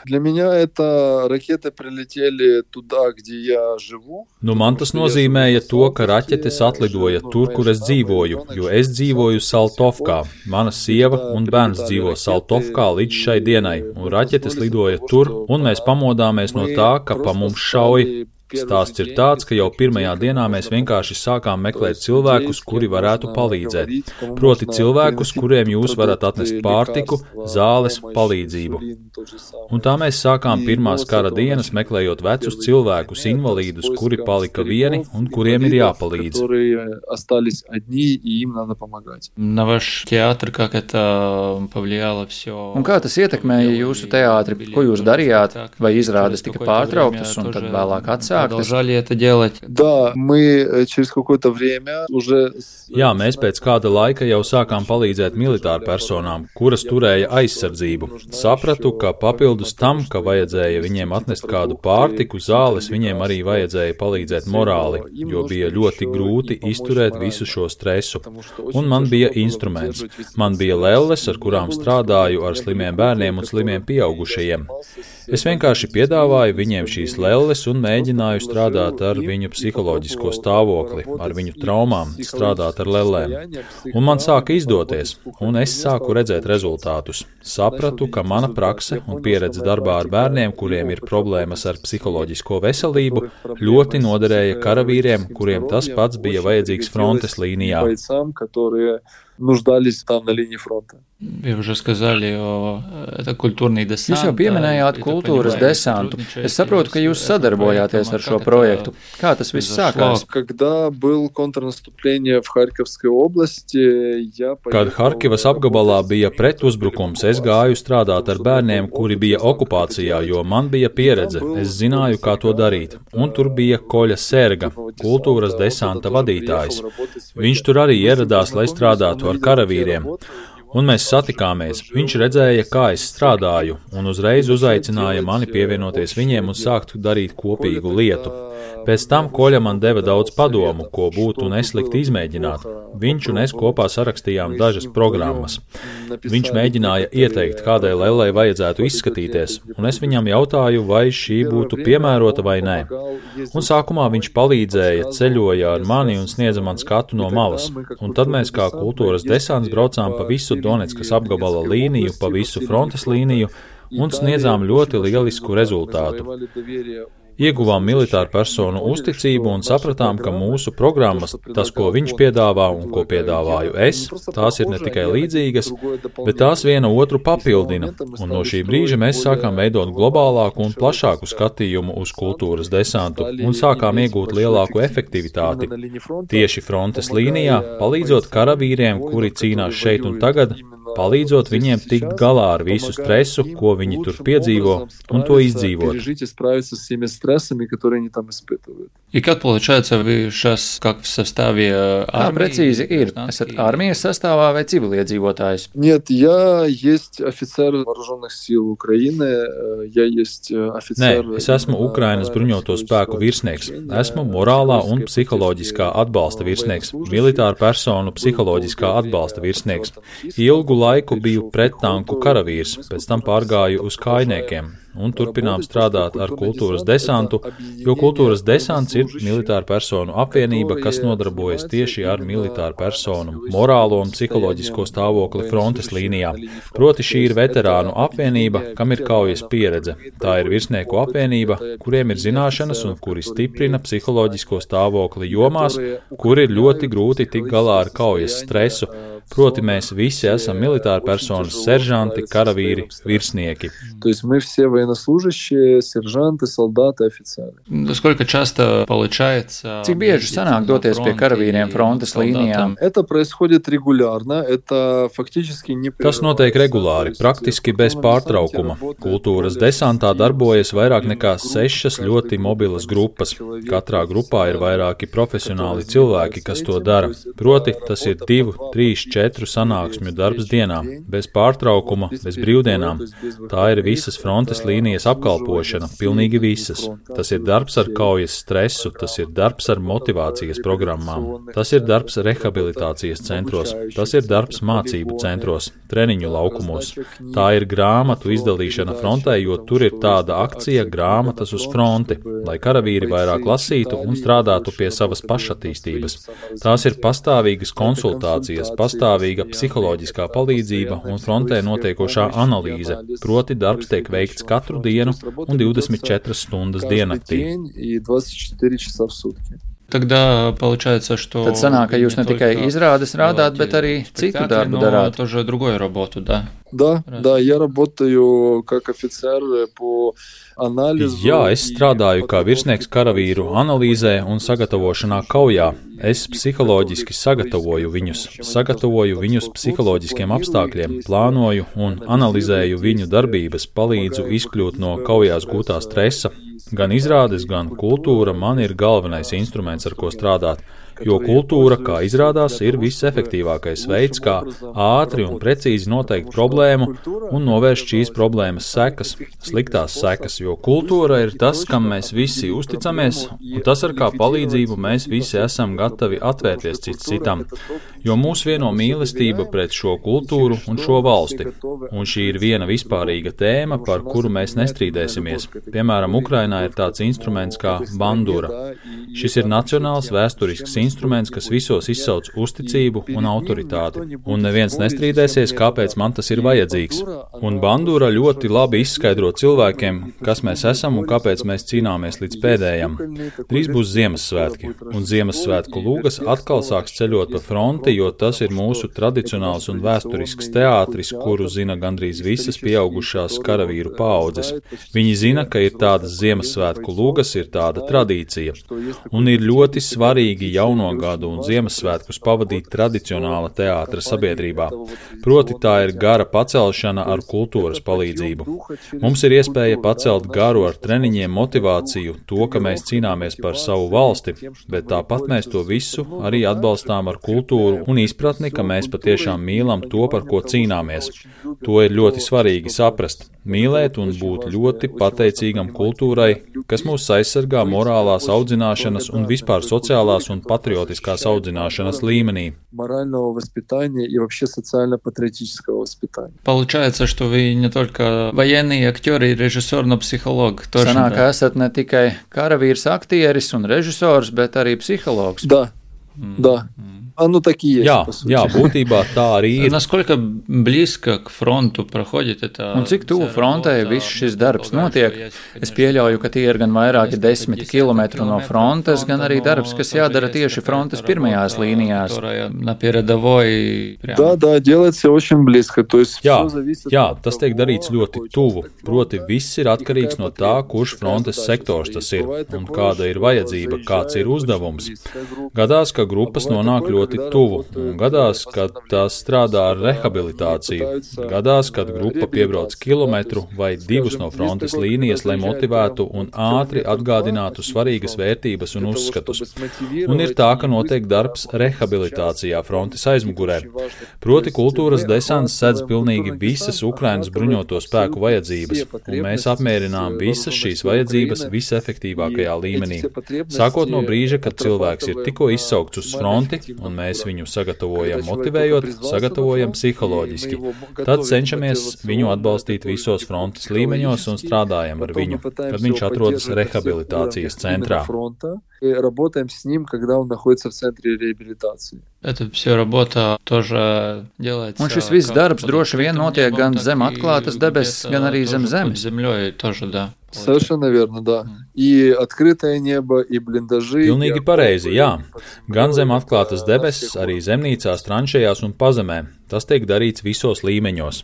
Для меня это ракеты прилетели туда, где я живу.
Man tas nozīmēja to, ka raķetes atlidoja tur, kur es dzīvoju, jo es dzīvoju Saltovkā. Mana sieva un bērns dzīvo Saltovkā līdz šai dienai, un raķetes lidoja tur, un mēs pamodāmies no tā, ka pa mums šauj. Stāsts ir tāds, ka jau pirmajā dienā mēs vienkārši sākām meklēt cilvēkus, kuri varētu palīdzēt. Proti cilvēkus, kuriem jūs varat atnest pārtiku, zāles, palīdzību. Un tā mēs sākām pirmās kara dienas, meklējot vecus cilvēkus, invalīdus, kuri palika vieni un kuriem ir jāpalīdz.
Un kā tas ietekmēja jūsu teātri? Ko jūs darījāt? Vai izrādes tika pārtrauktas un tad vēlāk atsāktas?
Jā, mēs pēc kāda laika jau sākām palīdzēt militāru personām, kuras turēja aizsardzību. Sapratu, ka papildus tam, ka vajadzēja viņiem atnest kādu pārtiku, zāles, viņiem arī vajadzēja palīdzēt morāli, jo bija ļoti grūti izturēt visu šo stresu. Un man bija instruments. Man bija lelles, ar kurām strādāju ar slimiem bērniem un slimiem pieaugušajiem. Es vienkārši piedāvāju viņiem šīs lelles un mēģināju strādāt ar viņu psiholoģisko stāvokli, ar viņu traumām, strādāt ar lellēm. Un man sāka izdoties, un es sāku redzēt rezultātus. Sapratu, ka mana prakse un pieredze darbā ar bērniem, kuriem ir problēmas ar psiholoģisko veselību, ļoti noderēja karavīriem, kuriem tas pats bija vajadzīgs frontes līnijā.
Jūs jau pieminējāt kultūras desantu. Es saprotu, ka jūs sadarbojāties ar šo projektu. Kā tas viss sākās?
Kad Harkivas apgabalā bija pretuzbrukums, es gāju strādāt ar bērniem, kuri bija okupācijā, jo man bija pieredze. Es zināju, kā to darīt. Un tur bija Koļa Serga, kultūras desanta vadītājs. Viņš tur arī ieradās, lai strādātu ar karavīriem. Un mēs satikāmies. Viņš redzēja, kā es strādāju, un uzreiz uzaicināja mani pievienoties viņiem un sākt darīt kopīgu lietu. Pēc tam Koļa man deva daudz padomu, ko būtu neslikti izmēģināt. Viņš un es kopā sarakstījām dažas programmas. Viņš mēģināja ieteikt, kādai lellei vajadzētu izskatīties, un es viņam jautāju, vai šī būtu piemērota vai nē. Un sākumā viņš palīdzēja, ceļoja ar mani un sniedza man skatu no malas. Un tad mēs kā kultūras desants braucām pa visu Donetskas apgabala līniju, pa visu frontes līniju un sniedzām ļoti lielisku rezultātu. Ieguvām militāru personu uzticību un sapratām, ka mūsu programmas, tas, ko viņš piedāvā un ko piedāvāju es, tās ir ne tikai līdzīgas, bet tās viena otru papildina, un no šī brīža mēs sākām veidot globālāku un plašāku skatījumu uz kultūras desantu un sākām iegūt lielāku efektivitāti. Tieši frontes līnijā, palīdzot karavīriem, kuri cīnās šeit un tagad, palīdzot viņiem tikt galā ar visu stresu, ko viņi tur piedzīvo, un to izdzīvot.
Как получается, вы сейчас как в составе армии?
Precīzi ir? Esat armijas sastāvā vai civiliedzīvotājs?
Нет, я есть офицер вооруженных сил Украины, я есть офицер...
Nē, es esmu Ukrainas bruņoto spēku virsnieks. Esmu morālā un psiholoģiskā atbalsta virsnieks, militāru personu psiholoģiskā atbalsta virsnieks. Ilgu laiku biju prettanku karavīrs, pēc tam pārgāju uz kājniekiem. Un turpinām strādāt ar kultūras desantu, jo kultūras desants ir militāra personu apvienība, kas nodarbojas tieši ar militāru personu morālo un psiholoģisko stāvokli frontes līnijā. Proti šī ir veterānu apvienība, kam ir kaujas pieredze. Tā ir virsnieku apvienība, kuriem ir zināšanas un kuri stiprina psiholoģisko stāvokli jomās, kur ir ļoti grūti tikt galā ar kaujas stresu. Proti mēs visi esam militāri personas, seržanti, karavīri, virsnieki.
Военнослужащие, сержанты, солдаты, офицеры.
Сколько часто получается?
Cik bieži sanāk doties pie karavīriem frontes līnijām?
Это происходит регулярно, это фактически не...
Tas notiek regulāri, praktiski bez pārtraukuma. Kultūras desantā darbojas vairāk nekā 6 ļoti mobilas grupas. Katrā grupā ir vairāki profesionāli cilvēki, kas to dara. Proti, tas ir 2, 3, 4 sanāksmju darbs dienā, bez pārtraukuma, bez brīvdienām. Tā ir visas frontes līnijas apkalpošana, pilnīgi visas. Tas ir darbs ar kaujas stresu, tas ir darbs ar motivācijas programmām, tas ir darbs rehabilitācijas centros, tas ir darbs mācību centros, treniņu laukumos. Tā ir grāmatu izdalīšana frontē, jo tur ir tāda akcija grāmatas uz fronti, lai karavīri vairāk lasītu un strādātu pie savas pašattīstības. Tās ir pastāvīgas konsultācijas, pastāvīgas pastāvīga psiholoģiskā palīdzība un frontē notiekošā analīze, proti darbs tiek veikts katru dienu un 24 stundas diennaktī.
Тогда получается, что...
Tad sanāk, ka jūs ne tikai izrādes rādāt, bet arī citu darbu darāt.
Тоже другую работу, да?
Да, я работаю как офицер по анализу.
Jā, es strādāju kā virsnieks karavīru analīzē un sagatavošanā kaujā. Es psiholoģiski sagatavoju viņus psiholoģiskiem apstākļiem, plānoju un analizēju viņu darbības, palīdzu izkļūt no kaujās gūtā stresa. Gan izrādes, gan kultūra man ir galvenais instruments, ar ko strādāt, jo kultūra, kā izrādās, ir visefektīvākais veids, kā ātri un precīzi noteikt problēmu un novērst šīs problēmas sekas, sliktās sekas, jo kultūra ir tas, kam mēs visi uzticamies, un tas, ar kā palīdzību mēs visi esam gatavi atvērties cits citam, jo mūs vieno mīlestība pret šo kultūru un šo valsti, un šī ir viena vispārīga tēma, par kuru mēs nestrīdēsimies. Piemēram, Ukrainā ir tāds instruments kā bandura. Šis ir nacionāls vēsturisks instruments, kas visos izsauc uzticību un autoritāti, un neviens nestrīdēsies, kāpēc man tas ir vajadzīgs. Un bandura ļoti labi izskaidro cilvēkiem, kas mēs esam un kāpēc mēs cīnāmies līdz pēdējam. Drīz būs Ziemassvētki, un Ziemassvētku lūgas atkal sāks ceļot pa fronti, jo tas ir mūsu tradicionāls un vēsturisks teātris, kuru zina gandrīz visas pieaugušās karavīru paaudzes. Viņi zina, ka ir tādas Ziemassvētku lūgas, ir tāda tradīcija, un ir ļoti svarīgi jauno gadu un Ziemassvētkus pavadīt tradicionāla teātra sabiedrībā. Proti tā ir gara pacelšana ar kultūras palīdzību. Mums ir iespēja pacelt garu ar treniņiem, motivāciju, to, ka mēs cīnāmies par savu valsti, bet tāpat mēs to visu arī atbalstām ar kultūru un izpratni, ka mēs patiešām mīlam to, par ko cīnāmies. To ir ļoti svarīgi saprast, mīlēt un būt ļoti pateicīgam kultūrai, kas mūs aizsargā morālās audzināšanas un vispār sociālās un patriotiskās audzināšanas līmenī.
Получается, что вы не только военный актер и режиссер, но психолог.
Sanāk, ka esat ne tikai karavīrs, aktieris un režisors, bet arī psihologs.
Да. Оно так и есть.
Jā, būtībā tā arī ir.
Насколько близко к фронту проходит это?
Un cik tuvu frontē viss šis darbs notiek? Es pieļauju, ka tie ir gan vairāki 10 kilometru no frontes, gan arī darbs, kas jādara tieši frontes pirmajās līnijās.
Да, делается очень близко. То есть
Jā, tas tiek darīts ļoti tuvu. Proti, viss ir atkarīgs no tā, kurš frontes sektors tas ir un kāda ir vajadzība, kāds ir uzdevums. Gadās, ka grupas nonāk ļoti tuvu, un gadās, kad tās strādā ar rehabilitāciju, gadās, kad grupa piebrauc kilometru vai 2 no frontes līnijas, lai motivētu un ātri atgādinātu svarīgas vērtības un uzskatus. Un ir tā, ka notiek darbs rehabilitācijā frontes aizmugurē. Proti kultūras desants sedz pilnīgi visas Ukrainas bruņoto spēku vajadzības, un mēs apmierinām visas šīs vajadzības visefektīvākajā līmenī. Sākot no brīža, kad cilvēks ir tikko izsaukts uz fronti, un mēs viņu sagatavojam motivējot, sagatavojam psiholoģiski. Tad cenšamies viņu atbalstīt visos frontes līmeņos un strādājam ar viņu, kad viņš atrodas rehabilitācijas centrā.
Работаем с ним, когда он находится в центре реабилитации.
Это все работа тоже делается.
Un šis viss darbs droši vien notiek gan zem atklātas debesis, gan arī zem zemes.
Землей тоже, да.
Совершенно верно, да. И открытое небо, и блиндажи.
Pilnīgi pareizi, jā. Gan zem atklātas debesis, arī zemnīcās, tranšējās un pazemē. Tas tiek darīts visos līmeņos.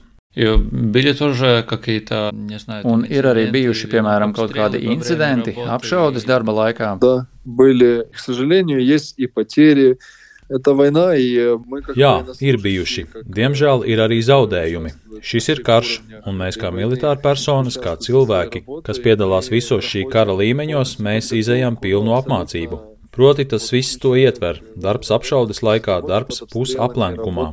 Un ir arī bijuši, piemēram, kaut kādi incidenti apšaudes darba laikā.
Да, были, к сожалению, есть и потери. Это война, и мы как
Jā, ir bijuši. Diemžēl ir arī zaudējumi. Šis ir karš, un mēs kā militāri personas, kā cilvēki, kas piedalās visos šī kara līmeņos, mēs izejam pilnu apmācību. Proti, tas viss to ietver. Darbs apšaudes laikā, darbs pusaplenkumā.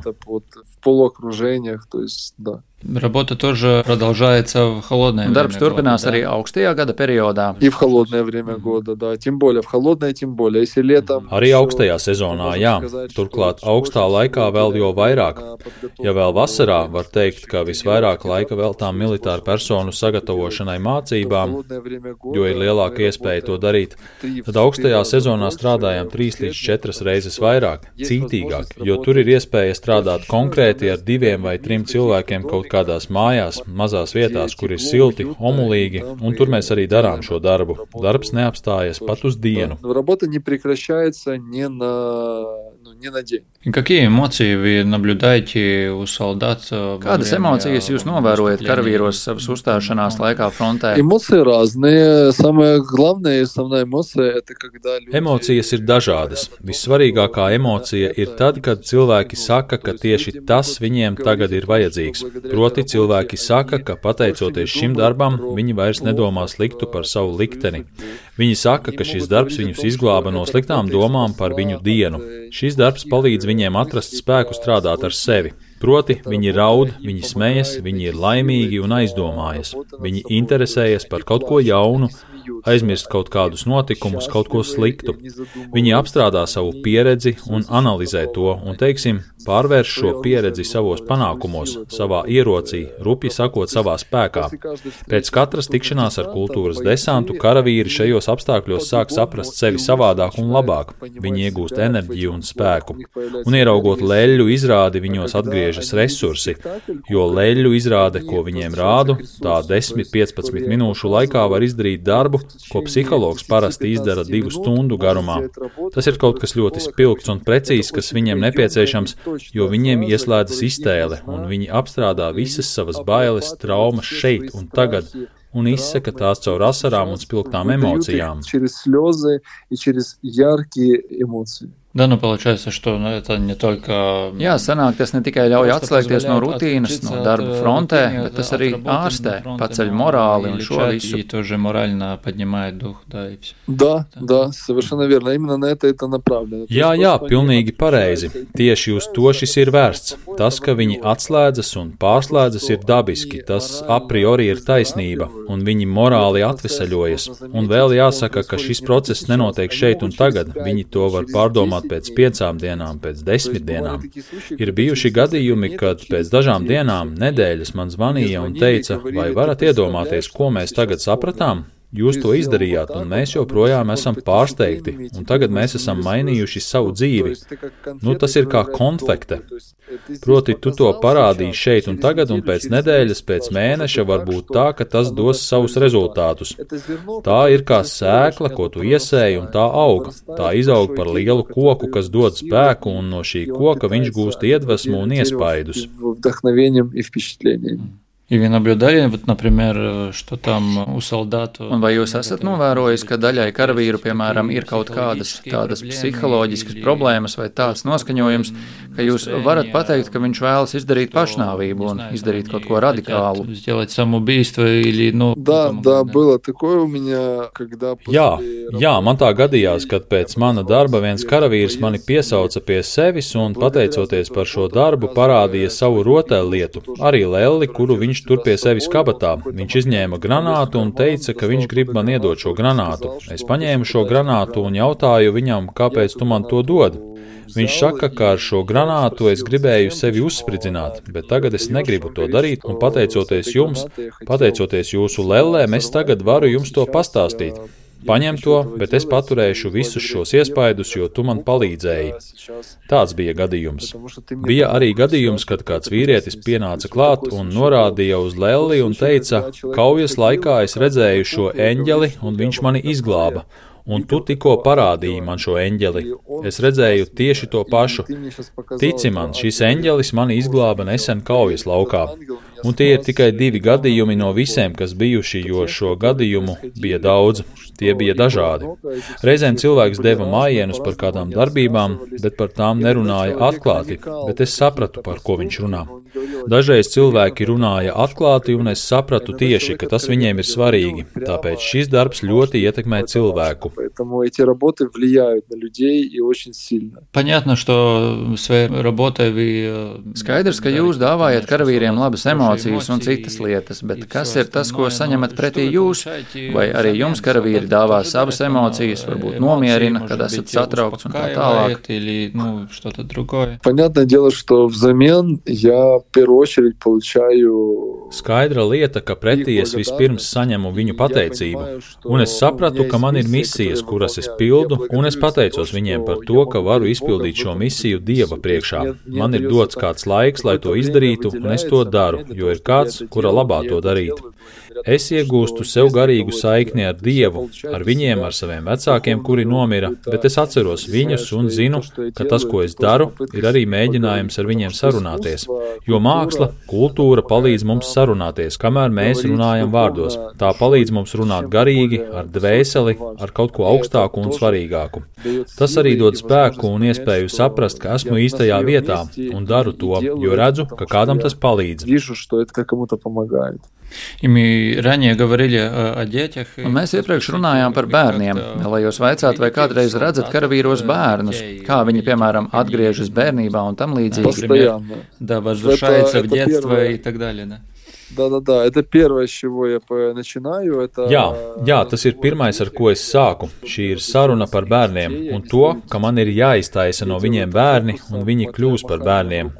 Работа тоже продолжается в холодное время
Darbs turpinās arī augstajā gada periodā.
И в холодное время года, да. Тем более, в холодное, тем более. Если летом...
Arī augstajā sezonā, jā. Turklāt augstā laikā vēl jo vairāk. Ja vēl vasarā var teikt, ka visvairāk laika veltām militāru personu sagatavošanai mācībām, jo ir lielāka iespēja to darīt, tad augstajā sezonā strādājam 3 līdz 4 reizes vairāk, cītīgāk, jo tur ir iespēja strādāt konkrēti ar 2 vai 3 cilvēkiem kaut kādās mājās, mazās vietās, kur ir silti, omulīgi, un tur mēs arī darām šo darbu. Darbs neapstājas pat uz dienu.
Работа не прекращается ни на день.
Какие эмоции вы наблюдаете у солдат?
Kādas emocijas jūs novērojat karavīros savas uzstāšanās laikā frontē?
Эмоции разные. Самая главная и основная эмоция – это когда люди...
Emocijas ir dažādas. Vissvarīgākā emocija ir tad, kad cilvēki saka, ka tieši tas viņiem tagad ir vajadzīgs. Proti, cilvēki saka, ka pateicoties šim darbam, viņi vairs nedomā sliktu par savu likteni. Viņi saka, ka šis darbs viņus izglāba no sliktām domām par viņu dienu. Šis darbs palīdz viņiem atrast spēku strādāt ar sevi. Proti, viņi raud, viņi smejas, viņi ir laimīgi un aizdomājas. Viņi interesējas par kaut ko jaunu, aizmirst kaut kādus notikumus, kaut ko sliktu. Viņi apstrādā savu pieredzi un analizē to un, teiksim, pārvērš šo pieredzi savos panākumos, savā ierocī, rupji sakot, savā spēkā. Pēc katras tikšanās ar kultūras desantu karavīri šajos apstākļos sāk saprast sevi savādāk un labāk. Viņi iegūst enerģiju un spēku. Un ieraugot leļu izrādi, viņos atgriežas resursi, jo leļu izrāde, ko viņiem rādu, tā 10-15 minūšu laikā var izdarīt darbu, ko psihologs parasti izdara 2 stundu garumā. Tas ir kaut kas ļoti spilgts un precīzs, kas viņiem nepieciešams, jo viņiem ieslēdzas iztēle, un viņi apstrādā visas savas bailes, traumas šeit un tagad, un izsaka tās caur asarām un spilgtām emocijām.
Да, ну получается, что это не только...
Jā, sanāk, tas ne tikai ļauj atslēgties no rutīnas, no darba frontē, bet tas arī ārstē, paceļ morāli un šo visu.
И тоже морально поднимает дух, да, и все.
Да, совершенно верно. Именно на это направлено.
Jā, pilnīgi pareizi. Tieši uz to šis ir vērsts. Tas, ka viņi atslēdzas un pārslēdzas, ir dabiski. Tas a priori ir taisnība, un viņi morāli atvesaļojas. Un vēl jāsaka, ka šis process nenotiek šeit un tagad. Viņi to var pārdomāt pēc 5 dienām, pēc 10 dienām. Ir bijuši gadījumi, kad pēc dažām dienām, nedēļas man zvanīja un teica, vai varat iedomāties, ko mēs tagad sapratām? Jūs to izdarījāt, un mēs joprojām esam pārsteigti, un tagad mēs esam mainījuši savu dzīvi. Nu, tas ir kā konfekte. Proti, tu to parādīji šeit un tagad, un pēc nedēļas, pēc mēneša var būt tā, ka tas dos savus rezultātus. Tā ir kā sēkla, ko tu iesēji, un tā aug. Tā izaug par lielu koku, kas dod spēku, un no šī koka viņš gūst iedvesmu un iespaidus.
И вы наблюдали, вот, например, что там у солдат...
Un vai jūs esat novērojis, ka daļai karavīru, piemēram, ir kaut kādas tādas psiholoģiskas problēmas vai tāds noskaņojums, ka jūs varat pateikt, ka viņš vēlas izdarīt pašnāvību un izdarīt kaut ko radikālu?
Сделать самоубийство или, ну...
Да, было такое у меня, когда...
Jā, man tā gadījās, kad pēc mana darba viens karavīrs mani piesauca pie sevis un, pateicoties par šo darbu, parādīja savu rotaļlietu, arī lelli, kuru viņš tur pie sevis kabatā. Viņš izņēma granātu un teica, ka viņš grib man iedot šo granātu. Es paņēmu šo granātu un jautāju viņam, kāpēc tu man to dod. Viņš saka, ka ar šo granātu es gribēju sevi uzspridzināt, bet tagad es negribu to darīt, un pateicoties jums, pateicoties jūsu lellēm, es tagad varu jums to pastāstīt. Paņem to, bet es paturēšu visus šos iespaidus, jo tu man palīdzēji. Tāds bija gadījums. Bija arī gadījums, kad kāds vīrietis pienāca klāt un norādīja uz lelli un teica, kaujas laikā es redzēju šo eņģeli un viņš mani izglāba. Un tu tikko parādīji man šo eņģeli. Es redzēju tieši to pašu. Tici man, šis eņģelis mani izglāba nesen kaujas laukā. Un tie ir tikai 2 gadījumi no visiem, kas bijuši, jo šo gadījumu bija daudz. Tie bija dažādi. Reizēm cilvēks deva mājienus par kādām darbībām, bet par tām nerunāja atklāti, bet es sapratu, par ko viņš runā. Dažreiz cilvēki runāja atklāti, un es sapratu tieši, ka tas viņiem ir svarīgi, tāpēc šis darbs ļoti ietekmē cilvēku.
Понятно, что своей работой вы...
Skaidrs, ka jūs dāvājat karavīriem labas emocijas. emocijas un citas lietas, bet kas ir tas, ko saņemat pretī jūs? Vai arī jums karavīri dāvā savas emocijas, varbūt nomierina, kad esat satraukts un tā tālāk?
Понятное дело, что взамен я в первую очередь получаю...
Skaidra lieta, ka pretī es vispirms saņemu viņu pateicību, un es sapratu, ka man ir misijas, kuras es pildu, un es pateicos viņiem par to, ka varu izpildīt šo misiju Dieva priekšā. Man ir dots kāds laiks, lai to izdarītu, un es to daru, jo ir kāds, kura labā to darīt. Es iegūstu sev garīgu saikni ar Dievu, ar viņiem, ar saviem vecākiem, kuri nomira, bet es atceros viņus un zinu, ka tas, ko es daru, ir arī mēģinājums ar viņiem sarunāties, jo māksla, kultūra palīdz mums sarunāties, kamēr mēs runājam vārdos. Tā palīdz mums runāt garīgi, ar dvēseli, ar kaut ko augstāku un svarīgāku. Tas arī dod spēku un iespēju saprast, ka esmu īstajā vietā un daru to, jo redzu, ka kādam tas palīdz.
Un mēs iepriekš runājām par bērniem. Vēlējos vaicāt, vai kādreiz redzat karavīros bērnus, kā viņi, piemēram, atgriežas bērnībā un tam līdzīgi.
Да, это первое, с чего я начинаю. Это...
Jā, tas ir pirmais, ar ko es sāku. Šī ir saruna par bērniem un to, ka man ir jāiztaisa no viņiem bērni un viņi kļūs par bērniem.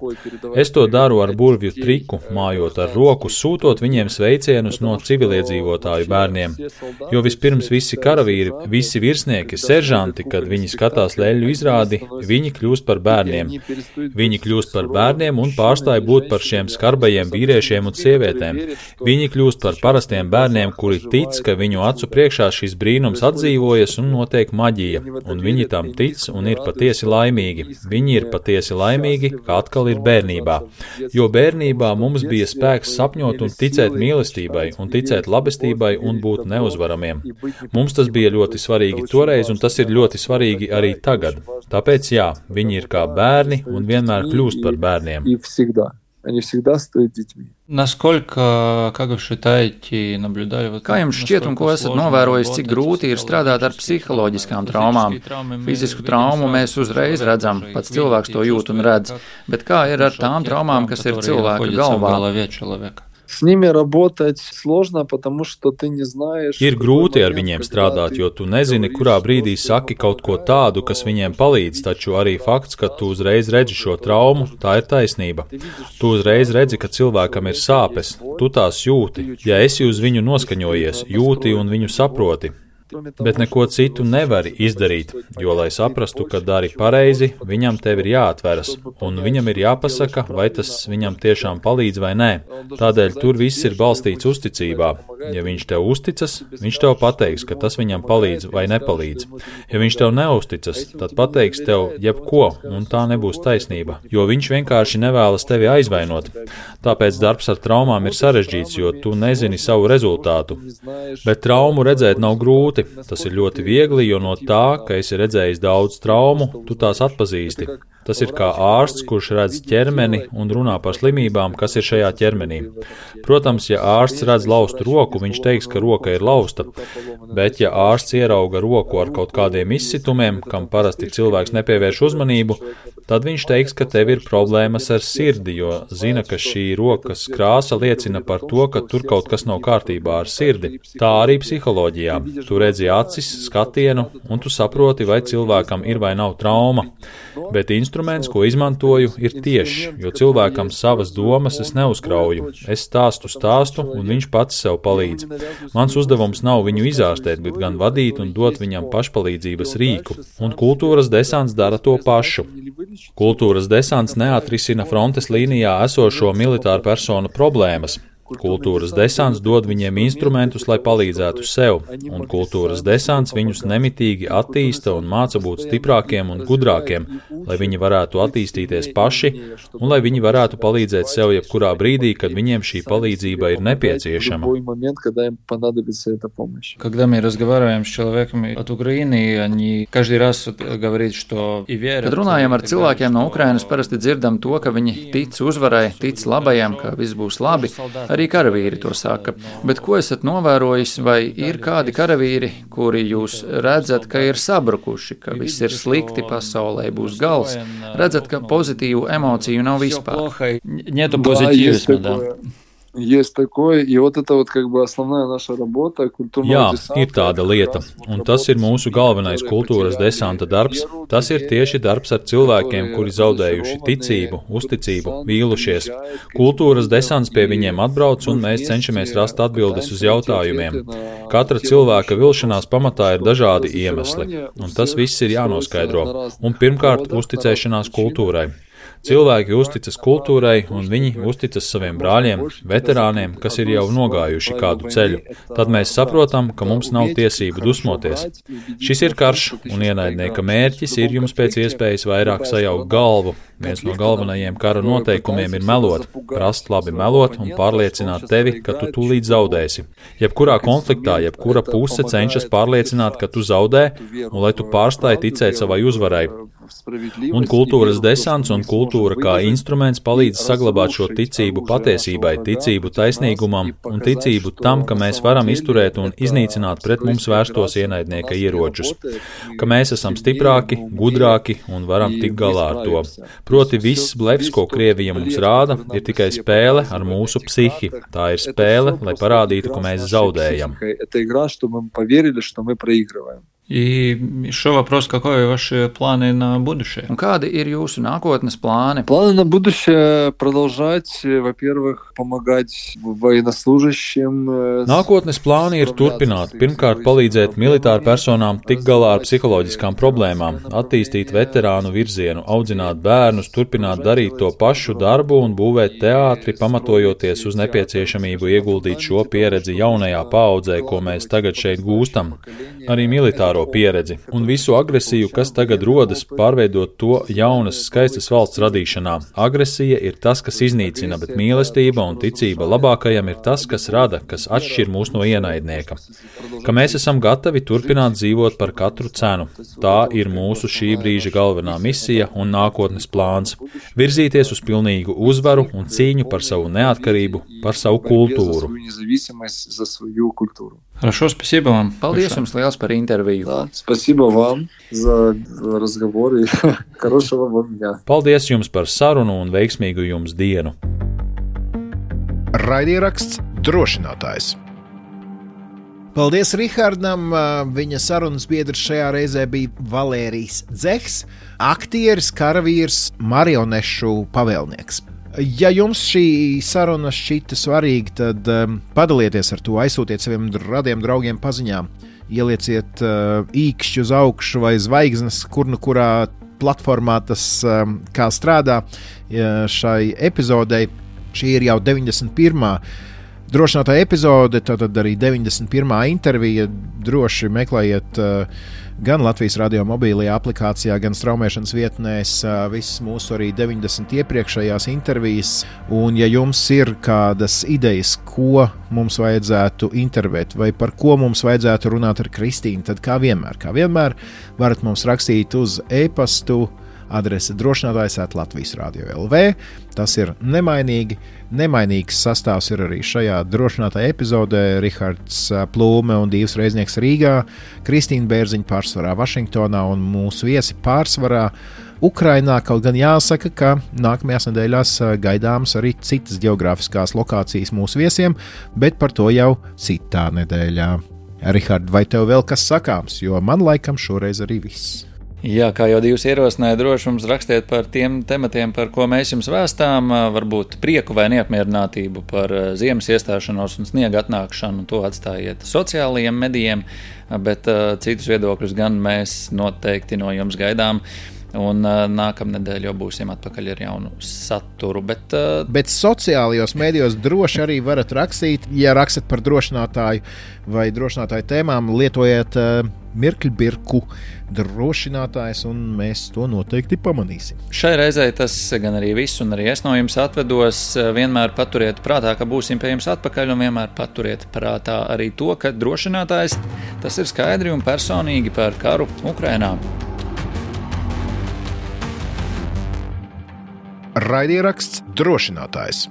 Es to daru ar burvju triku, mājot ar roku, sūtot viņiem sveicienus no civiliedzīvotāju bērniem. Jo vispirms visi karavīri, visi virsnieki, seržanti, kad viņi skatās leļu izrādi, viņi kļūst par bērniem. Viņi kļūst par bērniem un pārstāj būt par šiem skarbajiem vīriešiem un sievietēm. Viņi kļūst par parastiem bērniem, kuri tic, ka viņu acu priekšā šis brīnums atdzīvojas un notiek maģija, un viņi tam tic un ir patiesi laimīgi. Viņi ir patiesi laimīgi, ka atkal ir bērnībā. Jo bērnībā mums bija spēks sapņot un ticēt mīlestībai, un ticēt labestībai un būt neuzvaramiem. Mums tas bija ļoti svarīgi toreiz, un tas ir ļoti svarīgi arī tagad. Tāpēc jā, viņi ir kā bērni un vienmēr kļūst par bērniem.
Они всегда стоят детьми.
Kā jums šķiet un ko esat novērojis, cik grūti ir strādāt ar psiholoģiskām traumām? Fizisku traumu mēs uzreiz redzam, pats cilvēks to jūt un redz, bet kā ir ar tām traumām, kas ir cilvēka galvā?
С ними работать сложно, потому что ты не знаешь...
Ir grūti ar viņiem strādāt, jo tu nezini, kurā brīdī saki kaut ko tādu, kas viņiem palīdz, taču arī fakts, ka tu uzreiz redzi šo traumu, tā ir taisnība. Tu uzreiz redzi, ka cilvēkam ir sāpes, tu tās jūti, ja esi uz viņu noskaņojies, jūti un viņu saproti. Bet neko citu nevari izdarīt, jo, lai saprastu, ka dari pareizi, viņam tev ir jāatveras, un viņam ir jāpasaka, vai tas viņam tiešām palīdz vai nē. Tādēļ tur viss ir balstīts uzticībā. Ja viņš tev uzticas, viņš tev pateiks, ka tas viņam palīdz vai nepalīdz. Ja viņš tev neuzticas, tad pateiks tev jebko, un tā nebūs taisnība, jo viņš vienkārši nevēlas tevi aizvainot. Tāpēc darbs ar traumām ir sarežģīts, jo tu nezini savu rezultātu. Bet traumu redzēt nav grūti. Tas ir ļoti viegli, jo no tā, ka esi redzējis daudz traumu, tu tās atpazīsti. Tas ir kā ārsts, kurš redz ķermeni un runā par slimībām, kas ir šajā ķermenī. Protams, ja ārsts redz laustu roku, viņš teiks, ka roka ir lausta, bet ja ārsts ierauga roku ar kaut kādiem izsitumiem, kam parasti cilvēks nepievērš uzmanību, tad viņš teiks, ka tev ir problēmas ar sirdi, jo zina, ka šī rokas krāsa liecina par to, ka tur kaut kas nav kārtībā ar sirdi. Tā arī psiholoģijā. Tu redzi acis, skatienu, un tu saproti, vai cilvēkam ir vai nav trauma. Bet instruments, ko izmantoju, ir tieši, jo cilvēkam savas domas es neuzkrauju. Es stāstu, un viņš pats sev palīdz. Mans uzdevums nav viņu izārstēt, bet gan vadīt un dot viņam pašpalīdzības rīku. Un kultūras desants dara to pašu. Kultūras desants neatrisina frontes līnijā esošo militāru personu problēmas. Kultūras desants dod viņiem instrumentus, lai palīdzētu sev, un kultūras desants viņus nemitīgi attīsta un māca būt stiprākiem un gudrākiem, lai viņi varētu attīstīties paši un lai viņi varētu palīdzēt sev jebkurā brīdī, kad viņiem šī palīdzība ir nepieciešama.
Когда мы разговариваем с человеком от Украины, они каждый раз говорят, что и верят.
Kad runājam ar cilvēkiem no Ukrainas, parasti dzirdam to, ka viņi tic uzvarai, tic labajam, ka viss būs labi. Arī karavīri to saka. Bet ko esat novērojis, vai ir kādi karavīri, kuri jūs redzat, ka ir sabrukuši, ka viss ir slikti, pasaulē būs gals? Redzat, ka pozitīvu emociju nav vispār?
Нету позитивизма, да.
Есть такое, и вот это вот как бы основная наша работа,
Jā, ir tāda lieta, un tas ir mūsu galvenais kultūras desanta darbs. Tas ir tieši darbs ar cilvēkiem, kuri zaudējuši ticību, uzticību, vīlušies. Kultūras desants pie viņiem atbrauc, un mēs cenšamies rast atbildes uz jautājumiem. Katra cilvēka vilšanās pamatā ir dažādi iemesli, un tas viss ir jānoskaidro. Un pirmkārt, uzticēšanās kultūrai. Cilvēki uzticas kultūrai, un viņi uzticas saviem brāļiem, veterāniem, kas ir jau nogājuši kādu ceļu. Tad mēs saprotam, ka mums nav tiesību dusmoties. Šis ir karš, un ienaidnieka mērķis ir jums pēc iespējas vairāk sajaukt galvu. Viens no galvenajiem kara noteikumiem ir melot, prast labi melot un pārliecināt tevi, ka tu tūlīt zaudēsi. Jebkurā konfliktā, jebkura puse cenšas pārliecināt, ka tu zaudē, un lai tu pārstāji ticēt savai uzvarai. Un kultūras desants un kultūra kā instruments palīdz saglabāt šo ticību patiesībai, ticību taisnīgumam un ticību tam, ka mēs varam izturēt un iznīcināt pret mums vērstos ienaidnieka ieročus, ka mēs esam stiprāki, gudrāki un varam tikt galā ar to. Proti viss blefs, ko Krievija mums rāda, ir tikai spēle ar mūsu psihi. Tā ir spēle, lai parādītu, ka mēs zaudējam.
И еще вопрос, какой ваши планы на будущее?
Un kādi ir jūsu nākotnes plāni?
Планы на будущее продолжать, во-первых, помогать военнослужащим.
Nākotnes plāni ir turpināt. Pirmkārt, palīdzēt militāru personām tikt galā ar psiholoģiskām problēmām, attīstīt veterānu virzienu, audzināt bērnus, turpināt darīt to pašu darbu un būvēt teātri, pamatojoties uz nepieciešamību ieguldīt šo pieredzi jaunajā paaudzē, ko mēs tagad šeit gūstam. Arī militāro pieredzi un visu agresiju, kas tagad rodas, pārveidot to jaunas, skaistas valsts radīšanā. Agresija ir tas, kas iznīcina, bet mīlestība un ticība labākajam ir tas, kas rada, kas atšķir mūs no ienaidnieka. Ka mēs esam gatavi turpināt dzīvot par katru cenu. Tā ir mūsu šī brīža galvenā misija un nākotnes plāns. Virzīties uz pilnīgu uzvaru un cīņu par savu neatkarību, par savu kultūru.
Хорошо, спасибо вам.
Paldies jums liels par interviju.
Да, спасибо вам за разговор и хорошего вам дня.
Paldies jums par sarunu un veiksmīgu jums dienu.
Raidieraksts Drošinātājs. Paldies Rihardam. Viņa sarunas biedrs šajā reizē bija Valērijs Dzehs, aktieris, karavīrs, marionešu pavēlnieks. Ja jums šī saruna šķita svarīga, tad padalieties ar to, aizsūtiet saviem radiem draugiem paziņām, ielieciet īkšķi uz augšu vai zvaigznes, kurā platformā tas kā strādā šai epizodei. Šī ir jau 91. Drošinātāja epizode, tātad arī 91. intervija. Droši meklējiet gan Latvijas radio mobilajā aplikācijā, gan straumēšanas vietnēs visas mūsu arī 90 iepriekšējās intervijas. Un ja jums ir kādas idejas, ko mums vajadzētu intervēt vai par ko mums vajadzētu runāt ar Kristīnu, tad kā vienmēr varat mums rakstīt uz e-pastu adrese drošinātājs@latvijas-radio.lv. Tas ir nemainīgi. Nemainīgs sastāvs ir arī šajā drošinātāja epizodē. Rihards Plūme un Dīvs Reiznieks Rīgā, Kristīna Bērziņa pārsvarā Vašingtonā un mūsu viesi pārsvarā Ukrainā. Kaut gan jāsaka, ka nākamajās nedēļās gaidāmas arī citas geogrāfiskās lokācijas mūsu viesiem, bet par to jau citā nedēļā. Rihard, vai tev vēl kas sakāms, jo man laikam šoreiz arī viss.
Jā, kā jau Dievs ierosināja, droši mums rakstiet par tiem tematiem, par ko mēs jums vēstām, varbūt prieku vai neapmierinātību par ziemas iestāšanos un sniega atnākšanu, to atstājiet sociālajiem medijiem, bet citus viedokļus gan mēs noteikti no jums gaidām. Un nākamnedēļ jau būsim atpakaļ ar jaunu saturu.
Bet sociālajos mēdījos droši arī varat rakstīt. Ja rakstat par drošinātāju vai drošinātāju tēmām, lietojiet mirkļbirku drošinātājs, un mēs to noteikti pamanīsim.
Šai reizei tas gan arī viss, un arī es no jums atvedos. Vienmēr paturiet prātā, ka būsim pie jums atpakaļ, un vienmēr paturiet prātā arī to, ka drošinātājs tas ir skaidri un personīgi par karu Ukrainā.
Raidieraksts Drošinātājs.